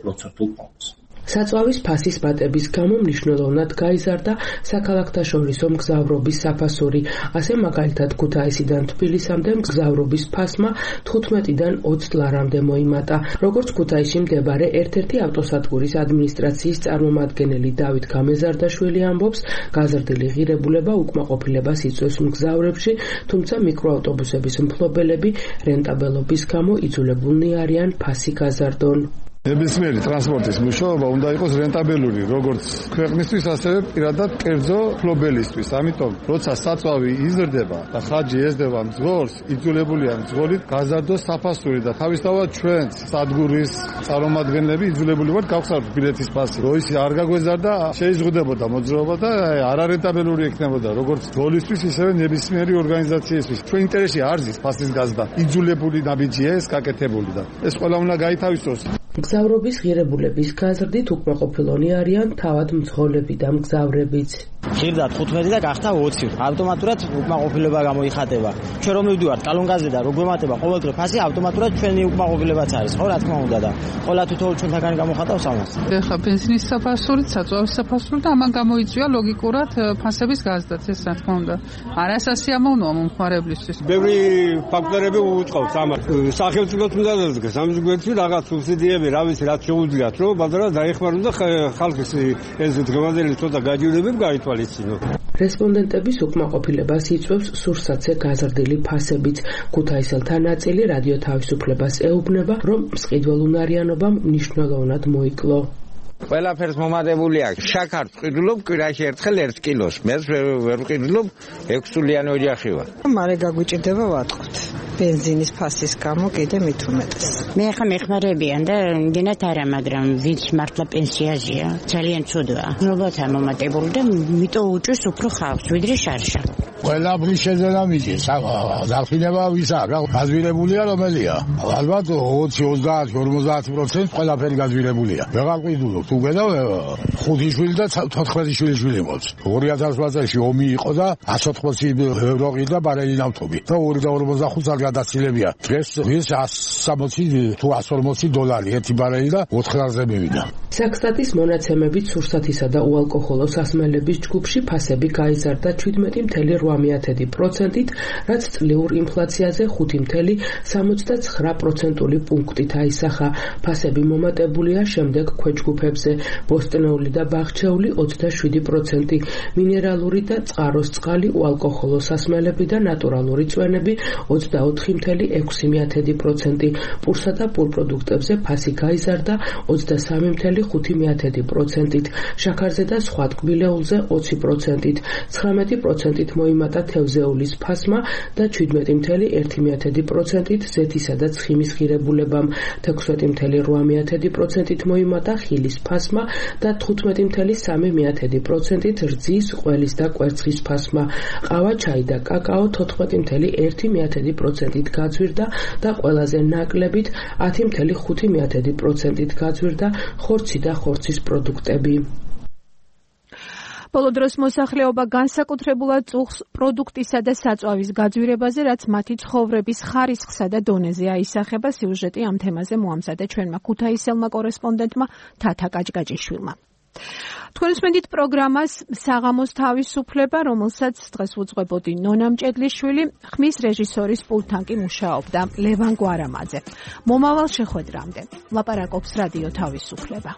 პროცენტულ პუნქტს. საწვავის ფასის პატების გამო მნიშვნელოვნად გაიზარდა საქალაქთაშორისო მგზავრობის საფასური. ასე მაგალითად ქუთაისიდან თბილისამდე მგზავრობის ფასმა თხუთმეტიდან ოცდ ლარამდე მოიმატა. როგორც ქუთაისში მდებარე ერთ-ერთი ავტოსადგურის ადმინისტრაციის წარმომადგენელი დავით გამეზარდაშვილი ამბობს, გაზრდილი ღირებულება უკმაყოფილებას იწვევს მგზავრებში, თუმცა მიკროავტობუსების მფლობელები რენტაბელობის გამო იძულებულნი არიან ფასი გაზარდონ. ნებისმიერი ტრანსპორტის მუშაობა უნდა იყოს რენტაბელური, როგორც ქვეყნისთვის, ასევე პირადად კერძო მფლობელისთვის. ამიტომ, როცა საწვავი იზრდება და ხარჯი ეზრდება მძღოლს, იძულებულია მძღოლი გაზარდოს საფასური და თავისთავად ჩვენც სადგურის წარმომადგენლები იძულებული ვართ გავხსნათ ბილეთის ფასი. რო ის არ გაგვეზარდა, შეიზღუდებოდა მოძრაობა და არარენტაბელური იქნებოდა, როგორც მძღოლისთვის, ისევე ნებისმიერი ორგანიზაციისთვის. ჩვენ ინტერესში არ ზის ფასის გაზრდა. იძულებული ნაბიჯია ეს გაკეთებული და ეს ყველა უნდა გაითავისოს. მგზავრობის ღირებულების გაზრდით უკმაყოფილონი არიან თავად მძღოლები და მგზავრებიც. ხირდა თხუთმეტი და გახდა ოცი. ავტომატურად უკმაყოფილება გამოიხატება. ჩვენ რომ მივდივართ კალონგაზე და რო გვემატება ყოველდღე ფასი, ავტომატურად ჩვენი უკმაყოფილებაც არის, ხო, რა თქმა უნდა და ყველა თითოეულ ჩვენთაგან გამოხატავს ამას. ეხლა ბენზინის საფასურით, საწვავის საფასურით და ამან გამოიწვია ლოგიკურად ფასების გაზრდაც, ეს რა თქმა უნდა. არასასიამოვნოა მომხმარებლისთვის. ბევრი ფაქტორები უწყობს ამას. სახელმწიფოს უნდა დადგეს ამ ზოგადად რაღაც სუბსიდიები, რა ვიცი, რაც შეუძლიათ, რომ ბაზარად დაეხმაროს და ხალხის ეს დღევანდელი ცოტა გაჯიურებები გაითვალისწინო. რესპონდენტების უკმაყოფილებას იწვევს სურსათზე გაზრდილი ფასებიც. ქუთაისელთა ნაწილი რადიო თავისუფლებას ეუბნება, რომ მსყიდველუნარიანობამ მნიშვნელოვნად მოიკლო. ყველაფერს მომადებული აქვს. შაქარს ვყიდულობ კვირაში ერთხელ ერთ კილოს. მე ვერ ვყიდულობ ექვსსულიანი ოჯახი ვარ. მარე გაგვიჭირდება ვატყოთ. ბენზინის ფასის გამო კიდე მით უმეტეს. მე ხა მეხმარებიან და იმდენად არა, მაგრამ ვინც მართლა პენსიაზეა, ძალიან ცუდაა. ნობათა მომატებული და მიტო უჭვის უფრო ხავს, ვიდრე შარშა. ყველაფრის შეძენა მიდის. დახინება ვის აქვს? გაზვირებულია რომელია? ალბათ ოცი ოცდაათი ორმოცდაათი პროცენტი ყველაფერი გაზვირებულია. ვეღარ ყიდულობ. თუ გედავ ხუთი შვილი და თოთხმეტი შვილი შვილი მოწ. ორი ათას ოთხ წელს ომი იყო და εκατს ოცდაოთხი ევრო ყიდა ბარელი ნავთობი. და ორი და ორმოცდახუთი წელი გადაცილებია. დღეს ის εκατს სამოცი თუ εκατს ორმოცი დოლარი ერთი ბარელი და ოთხ-ზე მივიდა. საქსტატის მონაცემებით სურსათისა და უალკოჰოლო სასმელების ჯგუფში ფასები გაიზარდა შვიდმეტი ფاصლე რვა პროცენტით, რაც წლიურ ინფლაციაზე ხუთი ფاصლე სამოცდაცხრა პროცენტული პუნქტით აისახა. ფასები მომატებულია შემდეგ ქვეჯგუფებზე: ბოსტნეული და ბაღჩეული ოცდაშვიდი პროცენტი, მინერალური და წყაროს წყალი, უალკოჰოლო სასმელები და ნატურალური წვენები ოცდაოთხი ფاصლე ექვსი პროცენტი, პურსა და პურპროდუქტებზე ფასი გაიზარდა ოცდასამი ფاصლე ხუთი პროცენტით, შაქარზე და სხვა ტკბილეულზე ოცი პროცენტით, ცხრამეტი პროცენტით მოიმატა თევზეულის ფასმა და შვიდმეტი ფاصლე ერთი პროცენტით ზეთისა და ცხიმის ღირებულებამ, თექვსმეტი ფاصლე რვა პროცენტით მოიმატა ხილის ფასმა და თხუთმეტი ფاصლე სამი პროცენტით რძის, ყველის და კვერცხის ფასმა. ყავა, ჩაი და კაკაო თოთხმეტი ფاصლე ერთი პროცენტით გაძვირდა და ყველაზე ნაკლებით ათი ფاصლე ხუთი პროცენტით გაძვირდა ხორცი და ხორცის პროდუქტები. ბოლო დროს მოსახლეობა განსაკუთრებულად წუხს პროდუქტისა და საწვავის გაძვირებაზე, რაც მათი ცხოვრების ხარისხსა და დონეზე აისახება. სიუჟეტი ამ თემაზე მოამზადა ჩვენმა ქუთაისელმა კორესპონდენტმა თათა კაჭკაჭიშვილმა. თქვენ უსმენთ პროგრამას საღამოს თავისუფლება, რომელსაც დღეს უძღვებოდი ნონა მჭედლიშვილი, ხმის რეჟისორის პულტთან კი მუშაობდა ლევან გვარამაძე. მომავალ შეხვედრამდე ლაპარაკობს რადიო თავისუფლება.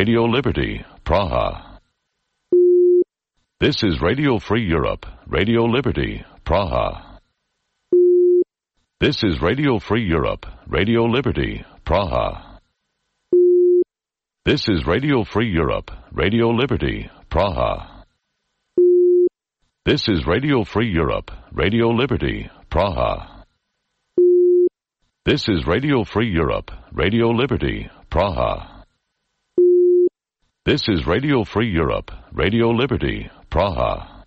Radio Liberty, Praha. This is Radio Free Europe, Radio Liberty, Praha. This is Radio Free Europe, Radio Liberty, Praha. This is Radio Free Europe, Radio Liberty, Praha. This is Radio Free Europe, Radio Liberty, Praha. This is Radio Free Europe, Radio Liberty, Praha. This is Radio Free Europe, Radio Liberty, Praha.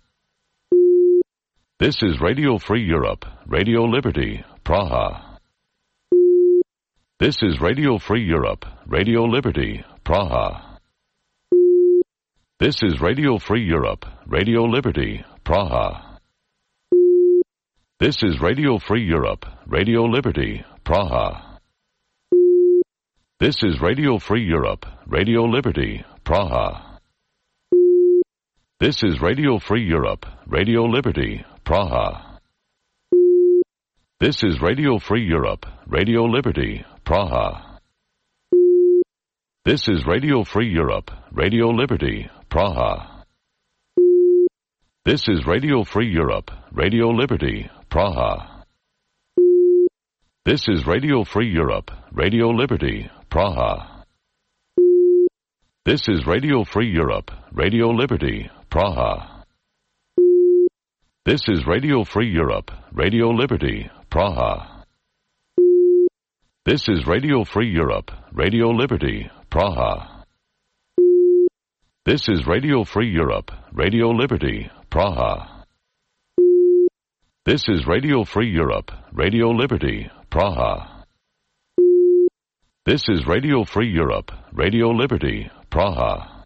This is Radio Free Europe, Radio Liberty, Praha. This is Radio Free Europe, Radio Liberty, Praha. This is Radio Free Europe, Radio Liberty, Praha. This is Radio Free Europe, Radio Liberty, Praha. This is Radio Free Europe, Radio Liberty, Praha. This is Radio Free Europe, Radio Liberty, Praha. This is Radio Free Europe, Radio Liberty, Praha. This is Radio Free Europe, Radio Liberty, Praha. This is Radio Free Europe, Radio Liberty, Praha. This is Radio Free Europe, Radio Liberty, Praha. This is Radio Free Europe, Radio Liberty, Praha. This is Radio Free Europe, Radio Liberty, Praha. This is Radio Free Europe, Radio Liberty, Praha. This is Radio Free Europe, Radio Liberty, Praha. This is Radio Free Europe, Radio Liberty, Praha. This is Radio Free Europe, Radio Liberty, Praha.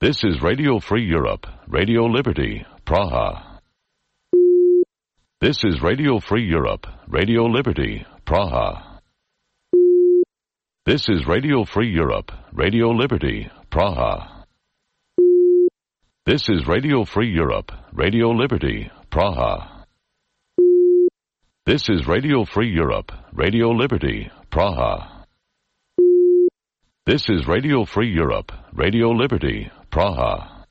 This is Radio Free Europe, Radio Liberty, Praha. This is Radio Free Europe, Radio Liberty, Praha. This is Radio Free Europe, Radio Liberty, Praha. This is Radio Free Europe, Radio Liberty, Praha. This is Radio Free Europe, Radio Liberty, Praha. This is Radio Free Europe, Radio Liberty, Praha.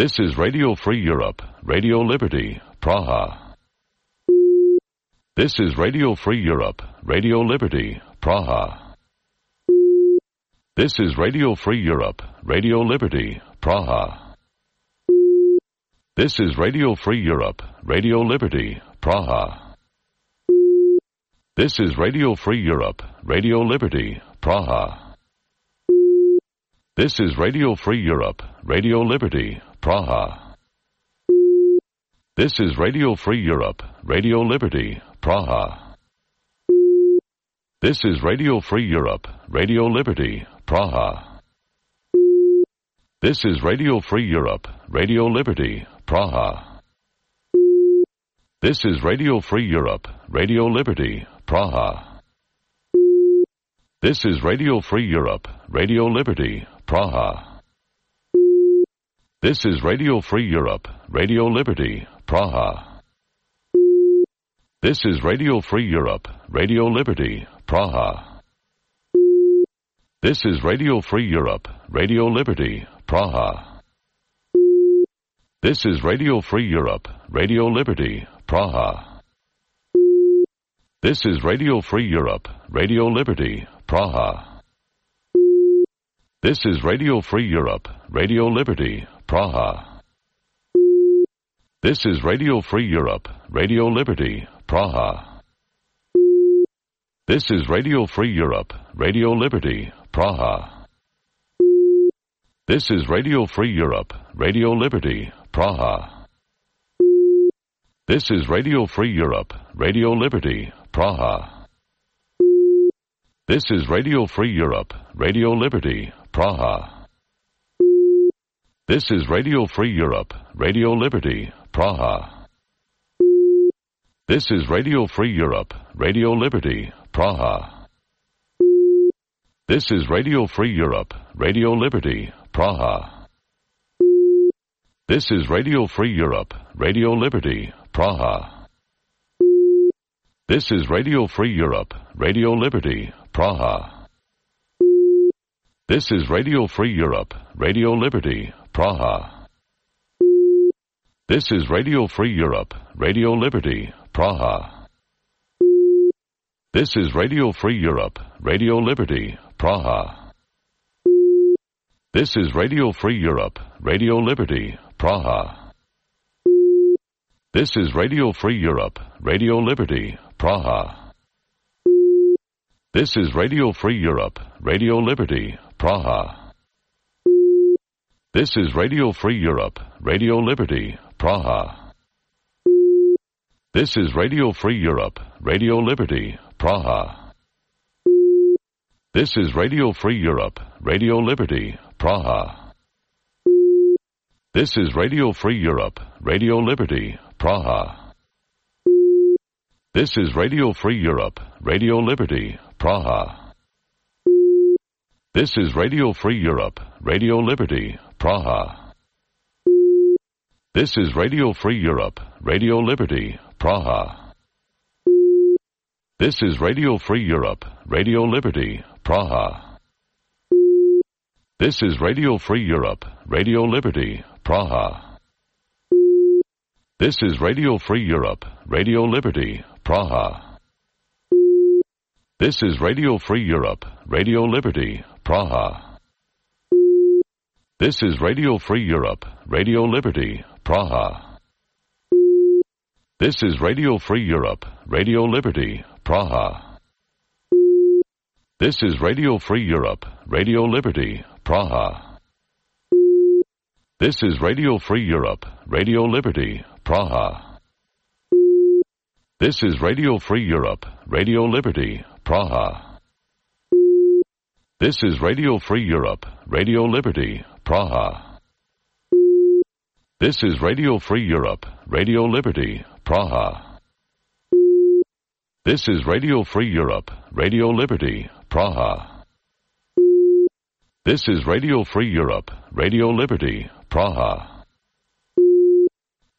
This is Radio Free Europe, Radio Liberty, Praha. This is Radio Free Europe, Radio Liberty, Praha. This is Radio Free Europe, Radio Liberty, Praha. This is Radio Free Europe, Radio Liberty, Praha. This is Radio Free Europe, Radio Liberty, Praha. This is Radio Free Europe, Radio Liberty, Praha. This is Radio Free Europe, Radio Liberty, Praha. This is Radio Free Europe, Radio Liberty, Praha. This is Radio Free Europe, Radio Liberty, Praha. This is Radio Free Europe, Radio Liberty, Praha. This is Radio Free Europe, Radio Liberty, Praha. This is Radio Free Europe, Radio Liberty, Praha. This is Radio Free Europe, Radio Liberty, Praha. This is Radio Free Europe, Radio Liberty, Praha. This is Radio Free Europe, Radio Liberty, Praha. This is Radio Free Europe, Radio Liberty, Praha. This is Radio Free Europe, Radio Liberty, Praha. This is Radio Free Europe, Radio Liberty, Praha. This is Radio Free Europe, Radio Liberty, Praha. This is Radio Free Europe, Radio Liberty, Praha. This is Radio Free Europe, Radio Liberty, Praha. This is Radio Free Europe, Radio Liberty, Praha. This is Radio Free Europe, Radio Liberty, Praha. This is Radio Free Europe, Radio Liberty, Praha. This is Radio Free Europe, Radio Liberty, Praha. This is Radio Free Europe, Radio Liberty, Praha. This is Radio Free Europe, Radio Liberty, Praha. This is Radio Free Europe, Radio Liberty, Praha. This is Radio Free Europe, Radio Liberty, Praha. This is Radio Free Europe, Radio Liberty, Praha. This is Radio Free Europe, Radio Liberty, Praha. This is Radio Free Europe, Radio Liberty, Praha. This is Radio Free Europe, Radio Liberty, Praha. This is Radio Free Europe, Radio Liberty, Praha. This is Radio Free Europe, Radio Liberty, Praha. This is Radio Free Europe, Radio Liberty, Praha. This is Radio Free Europe, Radio Liberty, Praha. This is Radio Free Europe, Radio Liberty, Praha. This is Radio Free Europe, Radio Liberty, Praha. This is Radio Free Europe, Radio Liberty, Praha. This is Radio Free Europe, Radio Liberty, Praha. This is Radio Free Europe, Radio Liberty, Praha. This is Radio Free Europe, Radio Liberty, Praha. This is Radio Free Europe, Radio Liberty, Praha. This is Radio Free Europe, Radio Liberty, Praha. This is Radio Free Europe, Radio Liberty, Praha. This is Radio Free Europe, Radio Liberty, Praha. This is Radio Free Europe, Radio Liberty, Praha. This is Radio Free Europe, Radio Liberty, Praha. This is Radio Free Europe, Radio Liberty, Praha. This is Radio Free Europe, Radio Liberty, Praha. This is Radio Free Europe, Radio Liberty, Praha. This is Radio Free Europe, Radio Liberty, Praha.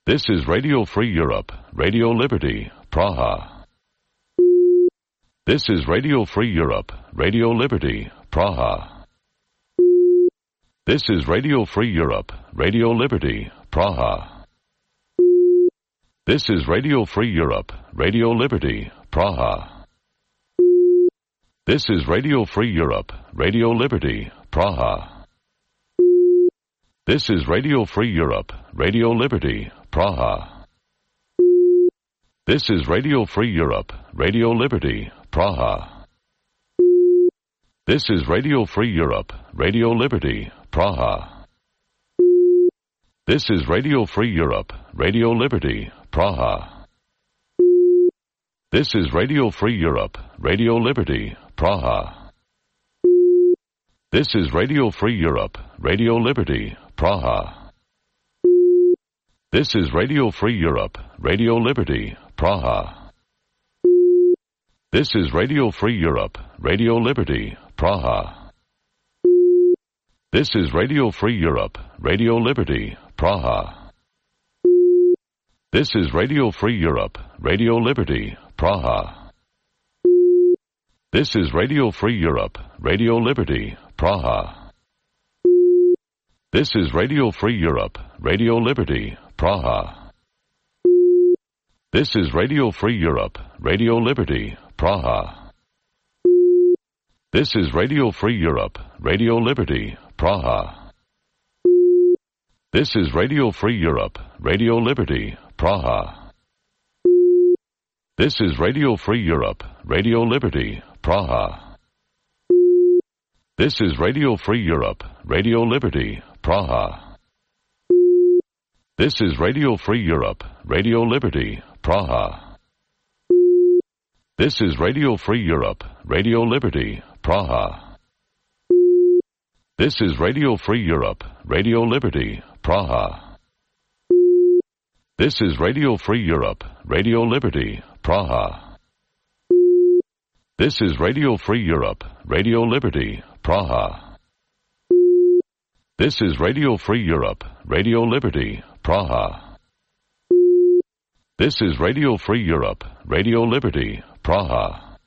This is Radio Free Europe, Radio Liberty, Praha. This is Radio Free Europe, Radio Liberty, Praha. This is Radio Free Europe, Radio Liberty, Praha. This is Radio Free Europe, Radio Liberty, Praha. This is Radio Free Europe, Radio Liberty, Praha. This is Radio Free Europe, Radio Liberty, Praha. This is Radio Free Europe, Radio Liberty, Praha. This is Radio Free Europe, Radio Liberty, Praha. This is Radio Free Europe, Radio Liberty, Praha. This is Radio Free Europe, Radio Liberty, Praha. This is Radio Free Europe, Radio Liberty, Praha. This is Radio Free Europe, Radio Liberty, Praha. This is Radio Free Europe, Radio Liberty, Praha. This is Radio Free Europe, Radio Liberty, Praha. This is Radio Free Europe, Radio Liberty, Praha. This is Radio Free Europe, Radio Liberty, Praha. This is Radio Free Europe, Radio Liberty, Praha. This is Radio Free Europe, Radio Liberty, Praha. This is Radio Free Europe, Radio Liberty, Praha. This is Radio Free Europe, Radio Liberty, Praha. This is Radio Free Europe, Radio Liberty, Praha. This is Radio Free Europe, Radio Liberty, Praha. This is Radio Free Europe, Radio Liberty, Praha. This is Radio Free Europe, Radio Liberty, Praha. This is Radio Free Europe, Radio Liberty, Praha. This is Radio Free Europe, Radio Liberty, Praha. This is Radio Free Europe, Radio Liberty, Praha. This is Radio Free Europe, Radio Liberty, Praha. This is Radio Free Europe, Radio Liberty, Praha.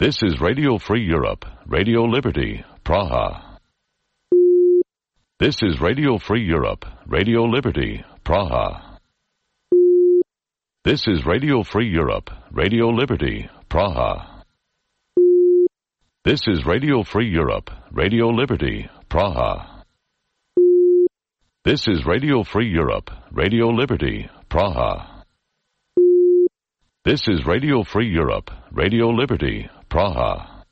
This is Radio Free Europe, Radio Liberty, Praha. This is Radio Free Europe, Radio Liberty, Praha. This is Radio Free Europe, Radio Liberty, Praha. This is Radio Free Europe, Radio Liberty, Praha. This is Radio Free Europe, Radio Liberty, Praha. This is Radio Free Europe, Radio Liberty, Praha.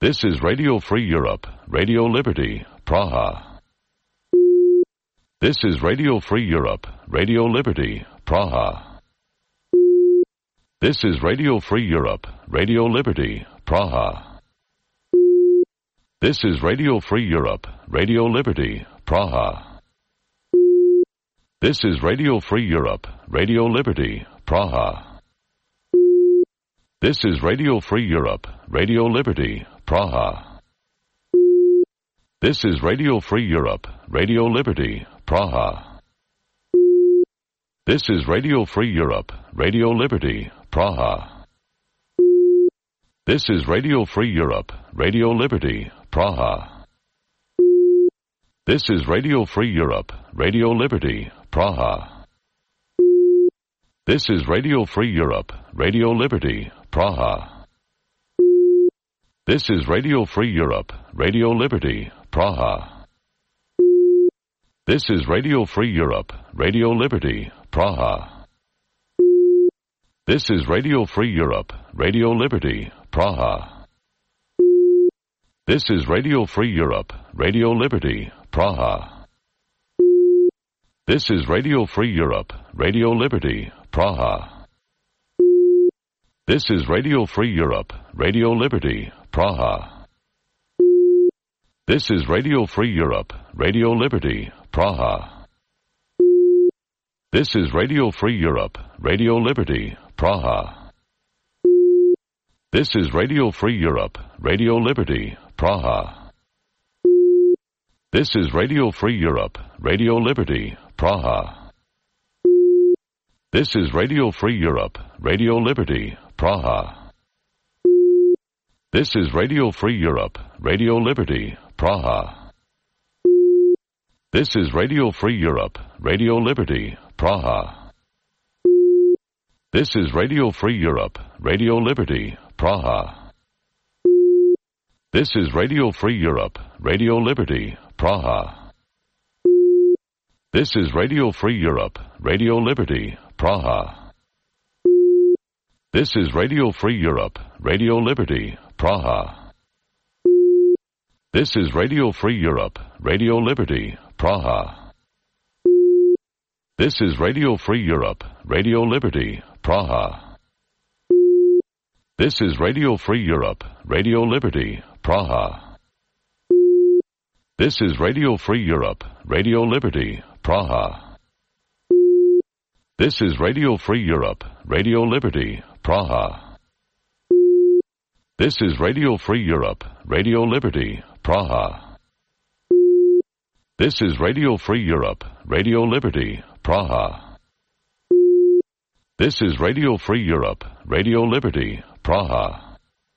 This is Radio Free Europe, Radio Liberty, Praha. This is Radio Free Europe, Radio Liberty, Praha. This is Radio Free Europe, Radio Liberty, Praha. This is Radio Free Europe, Radio Liberty, Praha. This is Radio Free Europe, Radio Liberty, Praha. This is Radio Free Europe, Radio Liberty, Praha. This is Radio Free Europe, Radio Liberty, Praha. This is Radio Free Europe, Radio Liberty, Praha. This is Radio Free Europe, Radio Liberty, Praha. This is Radio Free Europe, Radio Liberty, Praha. This is Radio Free Europe, Radio Liberty, Praha. This is Radio Free Europe, Radio Liberty, Praha. This is Radio Free Europe, Radio Liberty, Praha. This is Radio Free Europe, Radio Liberty, Praha. This is Radio Free Europe, Radio Liberty, Praha. This is Radio Free Europe, Radio Liberty, Praha. This is Radio Free Europe, Radio Liberty, Praha. This is Radio Free Europe, Radio Liberty, Praha. This is Radio Free Europe, Radio Liberty, Praha. This is Radio Free Europe, Radio Liberty, Praha. This is Radio Free Europe, Radio Liberty, Praha. This is Radio Free Europe, Radio Liberty, Praha. This is Radio Free Europe, Radio Liberty, Praha. This is Radio Free Europe, Radio Liberty, Praha. This is Radio Free Europe, Radio Liberty, Praha. This is Radio Free Europe, Radio Liberty, Praha. This is Radio Free Europe, Radio Liberty, Praha. This is Radio Free Europe, Radio Liberty, Praha. This is Radio Free Europe, Radio Liberty, Praha. This is Radio Free Europe, Radio Liberty, Praha. This is Radio Free Europe, Radio Liberty, Praha. This is Radio Free Europe, Radio Liberty, Praha. This is Radio Free Europe, Radio Liberty, Praha. This is Radio Free Europe, Radio Liberty, Praha. This is Radio Free Europe, Radio Liberty, Praha. This is Radio Free Europe, Radio Liberty, Praha.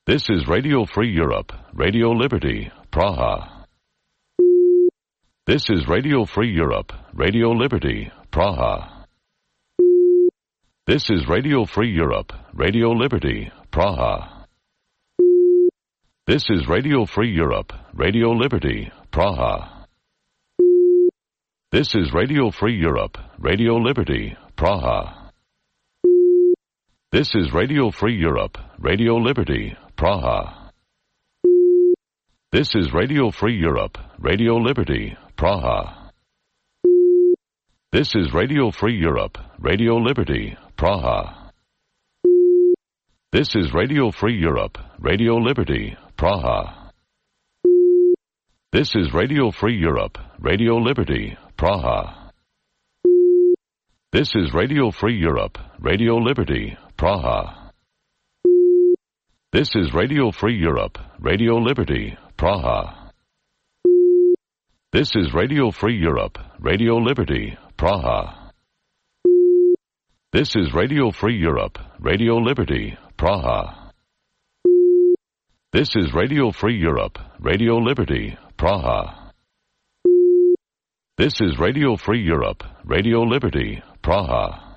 This is Radio Free Europe, Radio Liberty, Praha. This is Radio Free Europe, Radio Liberty, Praha. This is Radio Free Europe, Radio Liberty, Praha. This is Radio Free Europe, Radio Liberty, Praha. This is Radio Free Europe, Radio Liberty, Praha. This is Radio Free Europe, Radio Liberty, Praha. This is Radio Free Europe, Radio Liberty, Praha. This is Radio Free Europe, Radio Liberty, Praha. This is Radio Free Europe, Radio Liberty, Praha. This is Radio Free Europe, Radio Liberty, Praha. This is Radio Free Europe, Radio Liberty, Praha. This is Radio Free Europe, Radio Liberty, Praha. This is Radio Free Europe, Radio Liberty, Praha. This is Radio Free Europe, Radio Liberty, Praha. This is Radio Free Europe, Radio Liberty, Praha. This is Radio Free Europe, Radio Liberty, Praha.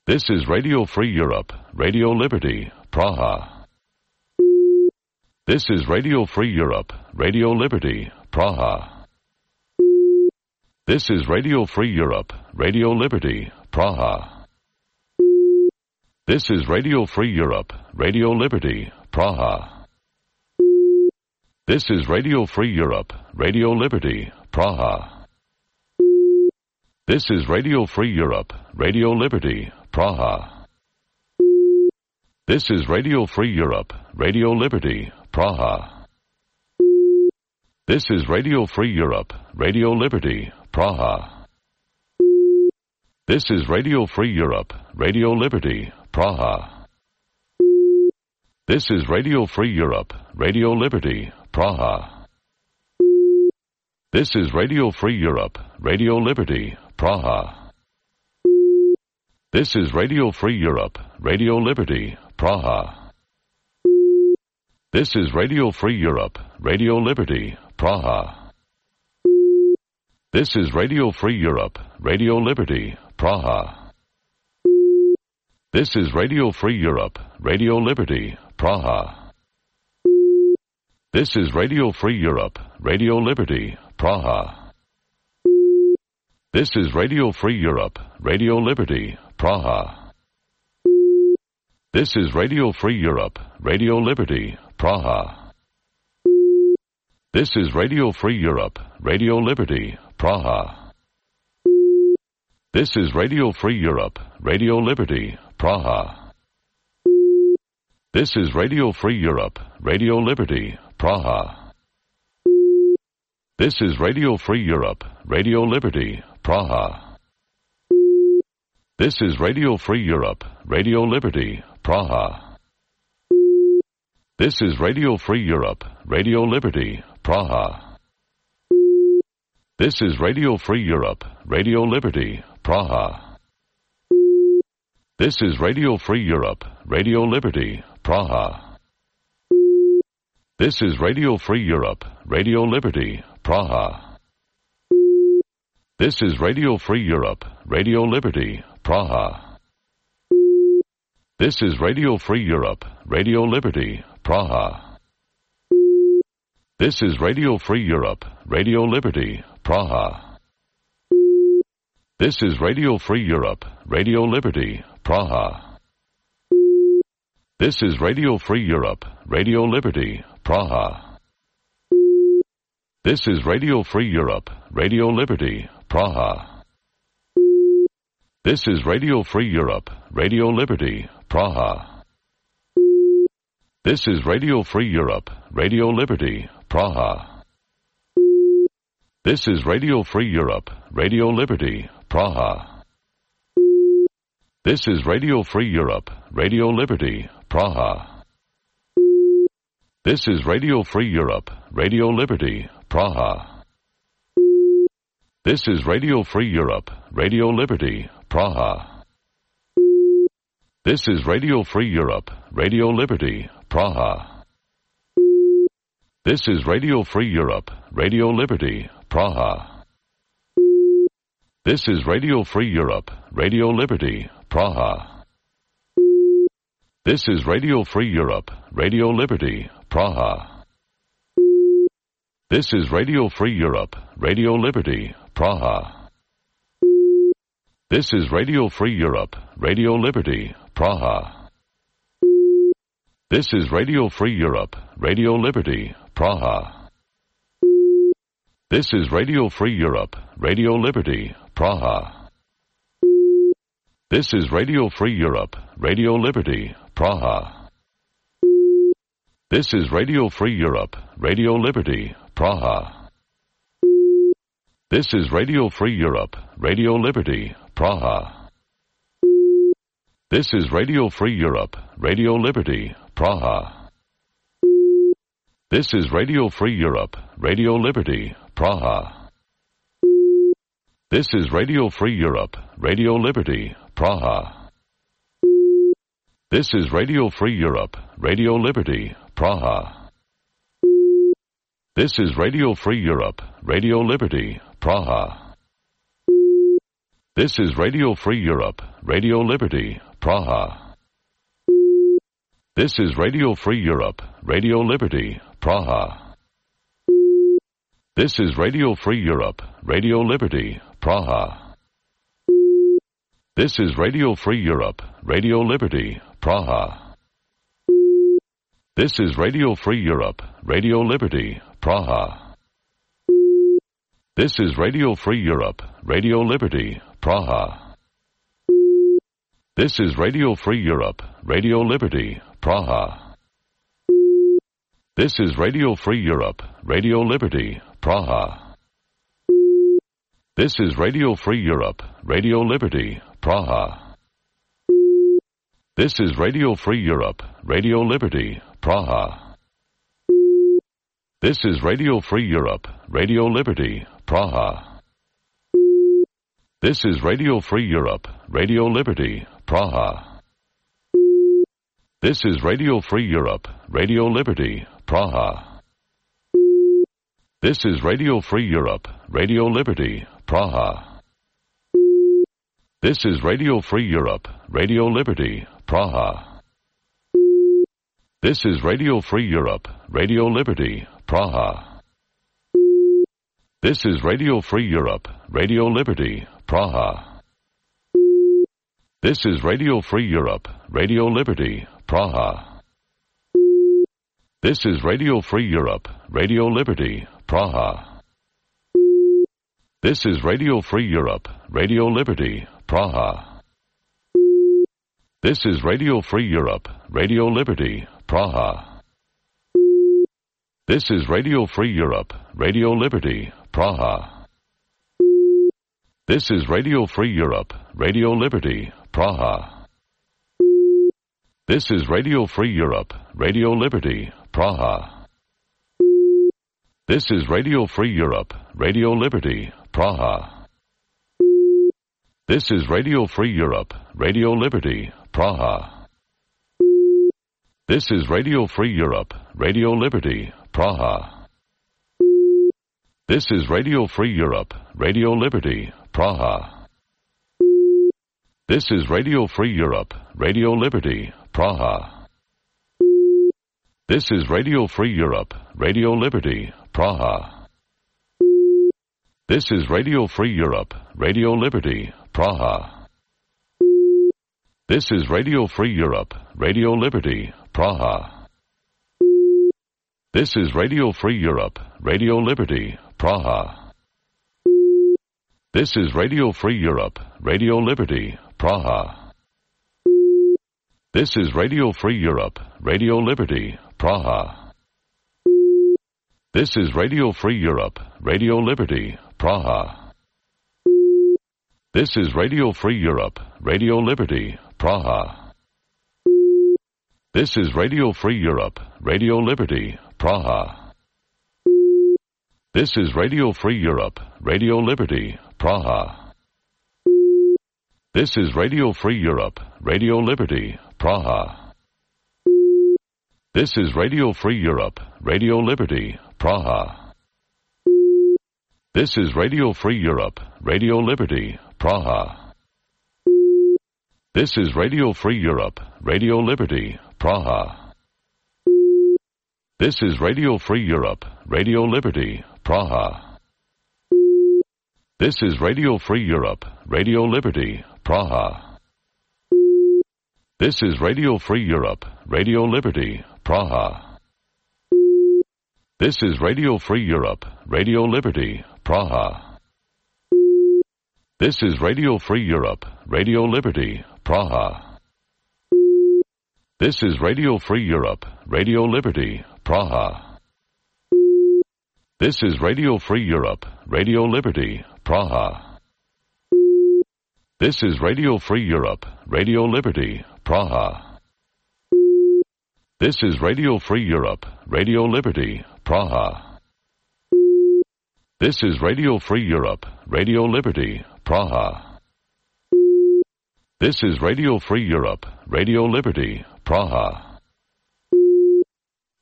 This is Radio Free Europe, Radio Liberty, Praha. This is Radio Free Europe, Radio Liberty, Praha. This is Radio Free Europe, Radio Liberty, Praha. This is Radio Free Europe, Radio Liberty, Praha. This is Radio Free Europe, Radio Liberty, Praha. This is Radio Free Europe, Radio Liberty, Praha. This is Radio Free Europe, Radio Liberty, Praha. This is Radio Free Europe, Radio Liberty, Praha. This is Radio Free Europe, Radio Liberty, Praha. This is Radio Free Europe, Radio Liberty, Praha. This is Radio Free Europe, Radio Liberty, Praha. This is Radio Free Europe, Radio Liberty, Praha. This is Radio Free Europe, Radio Liberty, Praha. This is Radio Free Europe, Radio Liberty, Praha. This is Radio Free Europe, Radio Liberty, Praha. This is Radio Free Europe, Radio Liberty, Praha. This is Radio Free Europe, Radio Liberty, Praha. This is Radio Free Europe, Radio Liberty, Praha. This is Radio Free Europe, Radio Liberty, Praha. This is Radio Free Europe, Radio Liberty, Praha. This is Radio Free Europe, Radio Liberty, Praha. This is Radio Free Europe, Radio Liberty, Praha. This is Radio Free Europe, Radio Liberty, Praha. This is Radio Free Europe, Radio Liberty, Praha. This is Radio Free Europe, Radio Liberty, Praha. This is Radio Free Europe, Radio Liberty, Praha. This is Radio Free Europe, Radio Liberty, Praha. This is Radio Free Europe, Radio Liberty, Praha. This is Radio Free Europe, Radio Liberty, Praha. This is Radio Free Europe, Radio Liberty, Praha. This is Radio Free Europe, Radio Liberty, Praha. This is Radio Free Europe, Radio Liberty, Praha. This is Radio Free Europe, Radio Liberty, Praha. This is Radio Free Europe, Radio Liberty, Praha. This is Radio Free Europe, Radio Liberty, Praha. This is Radio Free Europe, Radio Liberty, Praha. This is Radio Free Europe, Radio Liberty, Praha. This is Radio Free Europe, Radio Liberty, Praha. This is Radio Free Europe, Radio Liberty, Praha. This is Radio Free Europe, Radio Liberty, Praha. This is Radio Free Europe, Radio Liberty, Praha. This is Radio Free Europe, Radio Liberty, Praha. This is Radio Free Europe, Radio Liberty, Praha. This is Radio Free Europe, Radio Liberty, Praha. This is Radio Free Europe, Radio Liberty, Praha. This is Radio Free Europe, Radio Liberty, Praha. This is Radio Free Europe, Radio Liberty, Praha. This is Radio Free Europe, Radio Liberty, Praha. This is Radio Free Europe, Radio Liberty, Praha. This is Radio Free Europe, Radio Liberty, Praha. This is Radio Free Europe, Radio Liberty, Praha. This is Radio Free Europe, Radio Liberty, Praha. This is Radio Free Europe, Radio Liberty, Praha. This is Radio Free Europe, Radio Liberty, Praha. This is Radio Free Europe, Radio Liberty, Praha. This is Radio Free Europe, Radio Liberty, Praha. This is Radio Free Europe, Radio Liberty, Praha. This is Radio Free Europe, Radio Liberty, Praha. This is Radio Free Europe, Radio Liberty, Praha. This is Radio Free Europe, Radio Liberty, Praha. This is Radio Free Europe, Radio Liberty, Praha. This is Radio Free Europe, Radio Liberty, Praha. This is Radio Free Europe, Radio Liberty, Praha. This is Radio Free Europe, Radio Liberty, Praha. This is Radio Free Europe, Radio Liberty, Praha. This is Radio Free Europe, Radio Liberty, Praha. This is Radio Free Europe, Radio Liberty, Praha. This is Radio Free Europe, Radio Liberty, Praha. This is Radio Free Europe, Radio Liberty, Praha. This is Radio Free Europe, Radio Liberty, Praha. This is Radio Free Europe, Radio Liberty, Praha. This is Radio Free Europe, Radio Liberty, Praha. This is Radio Free Europe, Radio Liberty, Praha. This is Radio Free Europe, Radio Liberty, Praha. This is Radio Free Europe, Radio Liberty, Praha. This is Radio Free Europe, Radio Liberty, Praha. This is Radio Free Europe, Radio Liberty, Praha. This is Radio Free Europe, Radio Liberty, Praha. This is Radio Free Europe, Radio Liberty, Praha. This is Radio Free Europe, Radio Liberty, Praha. This is Radio Free Europe, Radio Liberty, Praha. This is Radio Free Europe, Radio Liberty, Praha. This is Radio Free Europe, Radio Liberty, Praha. This is Radio Free Europe, Radio Liberty, Praha. This is Radio Free Europe, Radio Liberty, Praha. This is Radio Free Europe, Radio Liberty, Praha. This is Radio Free Europe, Radio Liberty, Praha. This is Radio Free Europe, Radio Liberty, Praha. This is Radio Free Europe, Radio Liberty, Praha. This is Radio Free Europe, Radio Liberty, Praha. This is Radio Free Europe, Radio Liberty, Praha. This is Radio Free Europe, Radio Liberty, Praha. This is Radio Free Europe, Radio Liberty, Praha. This is Radio Free Europe, Radio Liberty, Praha. This is Radio Free Europe, Radio Liberty, Praha. This is Radio Free Europe, Radio Liberty, Praha. This is Radio Free Europe, Radio Liberty, Praha. This is Radio Free Europe, Radio Liberty, Praha. This is Radio Free Europe, Radio Liberty, Praha. This is Radio Free Europe, Radio Liberty, Praha. This is Radio Free Europe, Radio Liberty, Praha. This is Radio Free Europe, Radio Liberty, Praha. This is Radio Free Europe, Radio Liberty, Praha. This is Radio Free Europe, Radio Liberty, Praha. This is Radio Free Europe, Radio Liberty, Praha. This is Radio Free Europe, Radio Liberty, Praha. This is Radio Free Europe, Radio Liberty, Praha. This is Radio Free Europe, Radio Liberty, Praha. This is Radio Free Europe, Radio Liberty, Praha.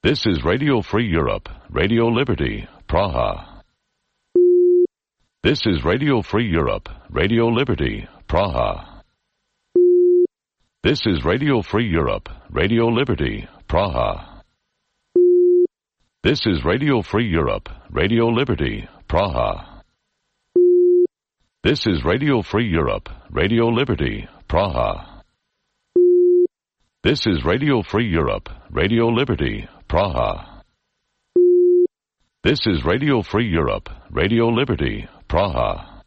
This is Radio Free Europe, Radio Liberty, Praha. This is Radio Free Europe, Radio Liberty, Praha. This is Radio Free Europe, Radio Liberty, Praha. This is Radio Free Europe, Radio Liberty, Praha. This is Radio Free Europe, Radio Liberty, Praha. This is Radio Free Europe, Radio Liberty, Praha. This is Radio Free Europe, Radio Liberty, Praha.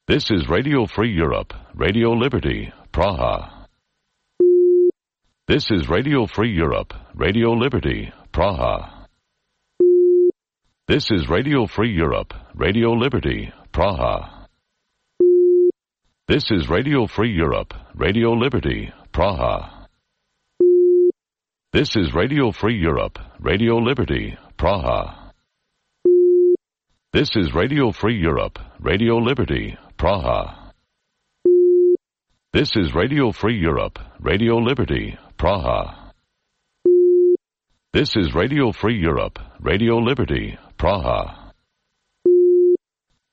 This is Radio Free Europe, Radio Liberty, Praha. This is Radio Free Europe, Radio Liberty, Praha. This is Radio Free Europe, Radio Liberty, Praha. This is Radio Free Europe, Radio Liberty, Praha. This is Radio Free Europe, Radio Liberty, Praha. This is Radio Free Europe, Radio Liberty, Praha. This is Radio Free Europe, Radio Liberty, Praha. This is Radio Free Europe, Radio Liberty, Praha.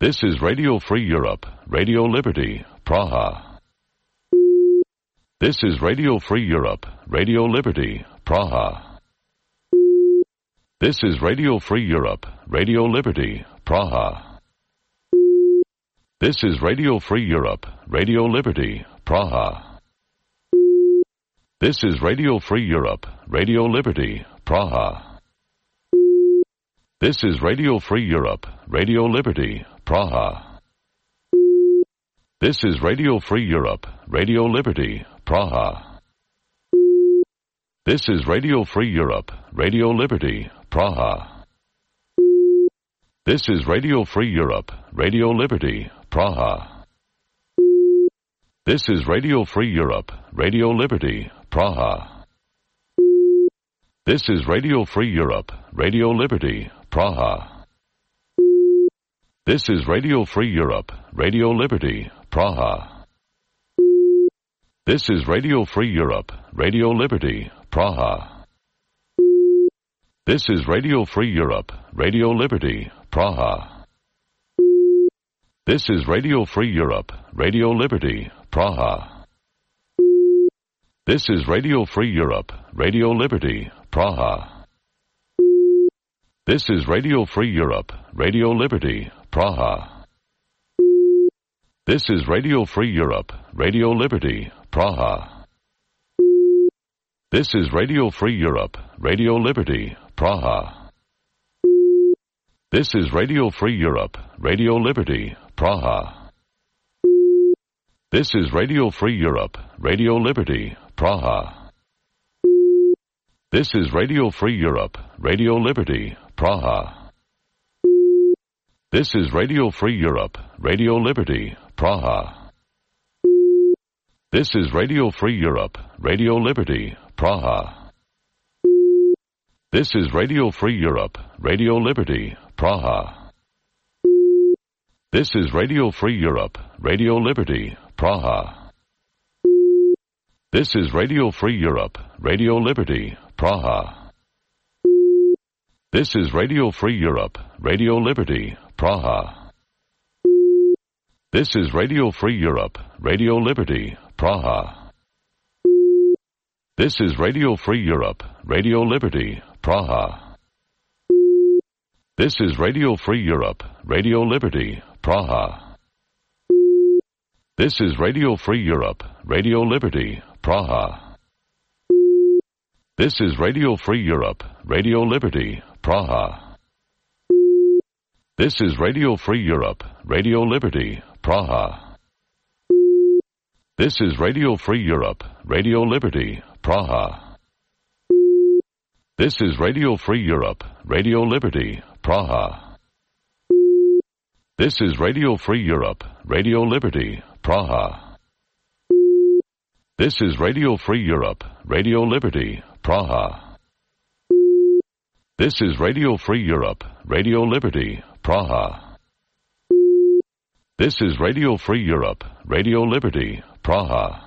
This is Radio Free Europe, Radio Liberty, Praha. This is Radio Free Europe, Radio Liberty, Praha. This is Radio Free Europe, Radio Liberty, Praha. This is Radio Free Europe, Radio Liberty, Praha. This is Radio Free Europe, Radio Liberty, Praha. This is Radio Free Europe, Radio Liberty, Praha. This is Radio Free Europe, Radio Liberty, Praha. This is Radio Free Europe, Radio Liberty, Praha. This is Radio Free Europe, Radio Liberty, Praha. This is Radio Free Europe, Radio Liberty, Praha. This is Radio Free Europe, Radio Liberty, Praha. This is Radio Free Europe, Radio Liberty, Praha. This is Radio Free Europe, Radio Liberty, Praha. This is Radio Free Europe, Radio Liberty, Praha. This is Radio Free Europe, Radio Liberty, Praha. This is Radio Free Europe, Radio Liberty, Praha. This is Radio Free Europe, Radio Liberty, Praha. This is Radio Free Europe, Radio Liberty, Praha. This is Radio Free Europe, Radio Liberty, Praha. This is Radio Free Europe, Radio Liberty, Praha. This is Radio Free Europe, Radio Liberty, Praha. This is Radio Free Europe, Radio Liberty, Praha. This is Radio Free Europe, Radio Liberty, Praha. This is Radio Free Europe, Radio Liberty, Praha. This is Radio Free Europe, Radio Liberty, Praha. This is Radio Free Europe, Radio Liberty, Praha. This is Radio Free Europe, Radio Liberty, Praha. This is Radio Free Europe, Radio Liberty, Praha. This is Radio Free Europe, Radio Liberty, Praha. This is Radio Free Europe, Radio Liberty, Praha. This is Radio Free Europe, Radio Liberty, Praha. This is Radio Free Europe, Radio Liberty, Praha. This is Radio Free Europe, Radio Liberty, Praha. This is Radio Free Europe, Radio Liberty, Praha. This is Radio Free Europe, Radio Liberty, Praha. This is Radio Free Europe, Radio Liberty, Praha. This is Radio Free Europe, Radio Liberty, Praha. This is Radio Free Europe, Radio Liberty, Praha. This is Radio Free Europe, Radio Liberty, Praha. This is Radio Free Europe, Radio Liberty, Praha.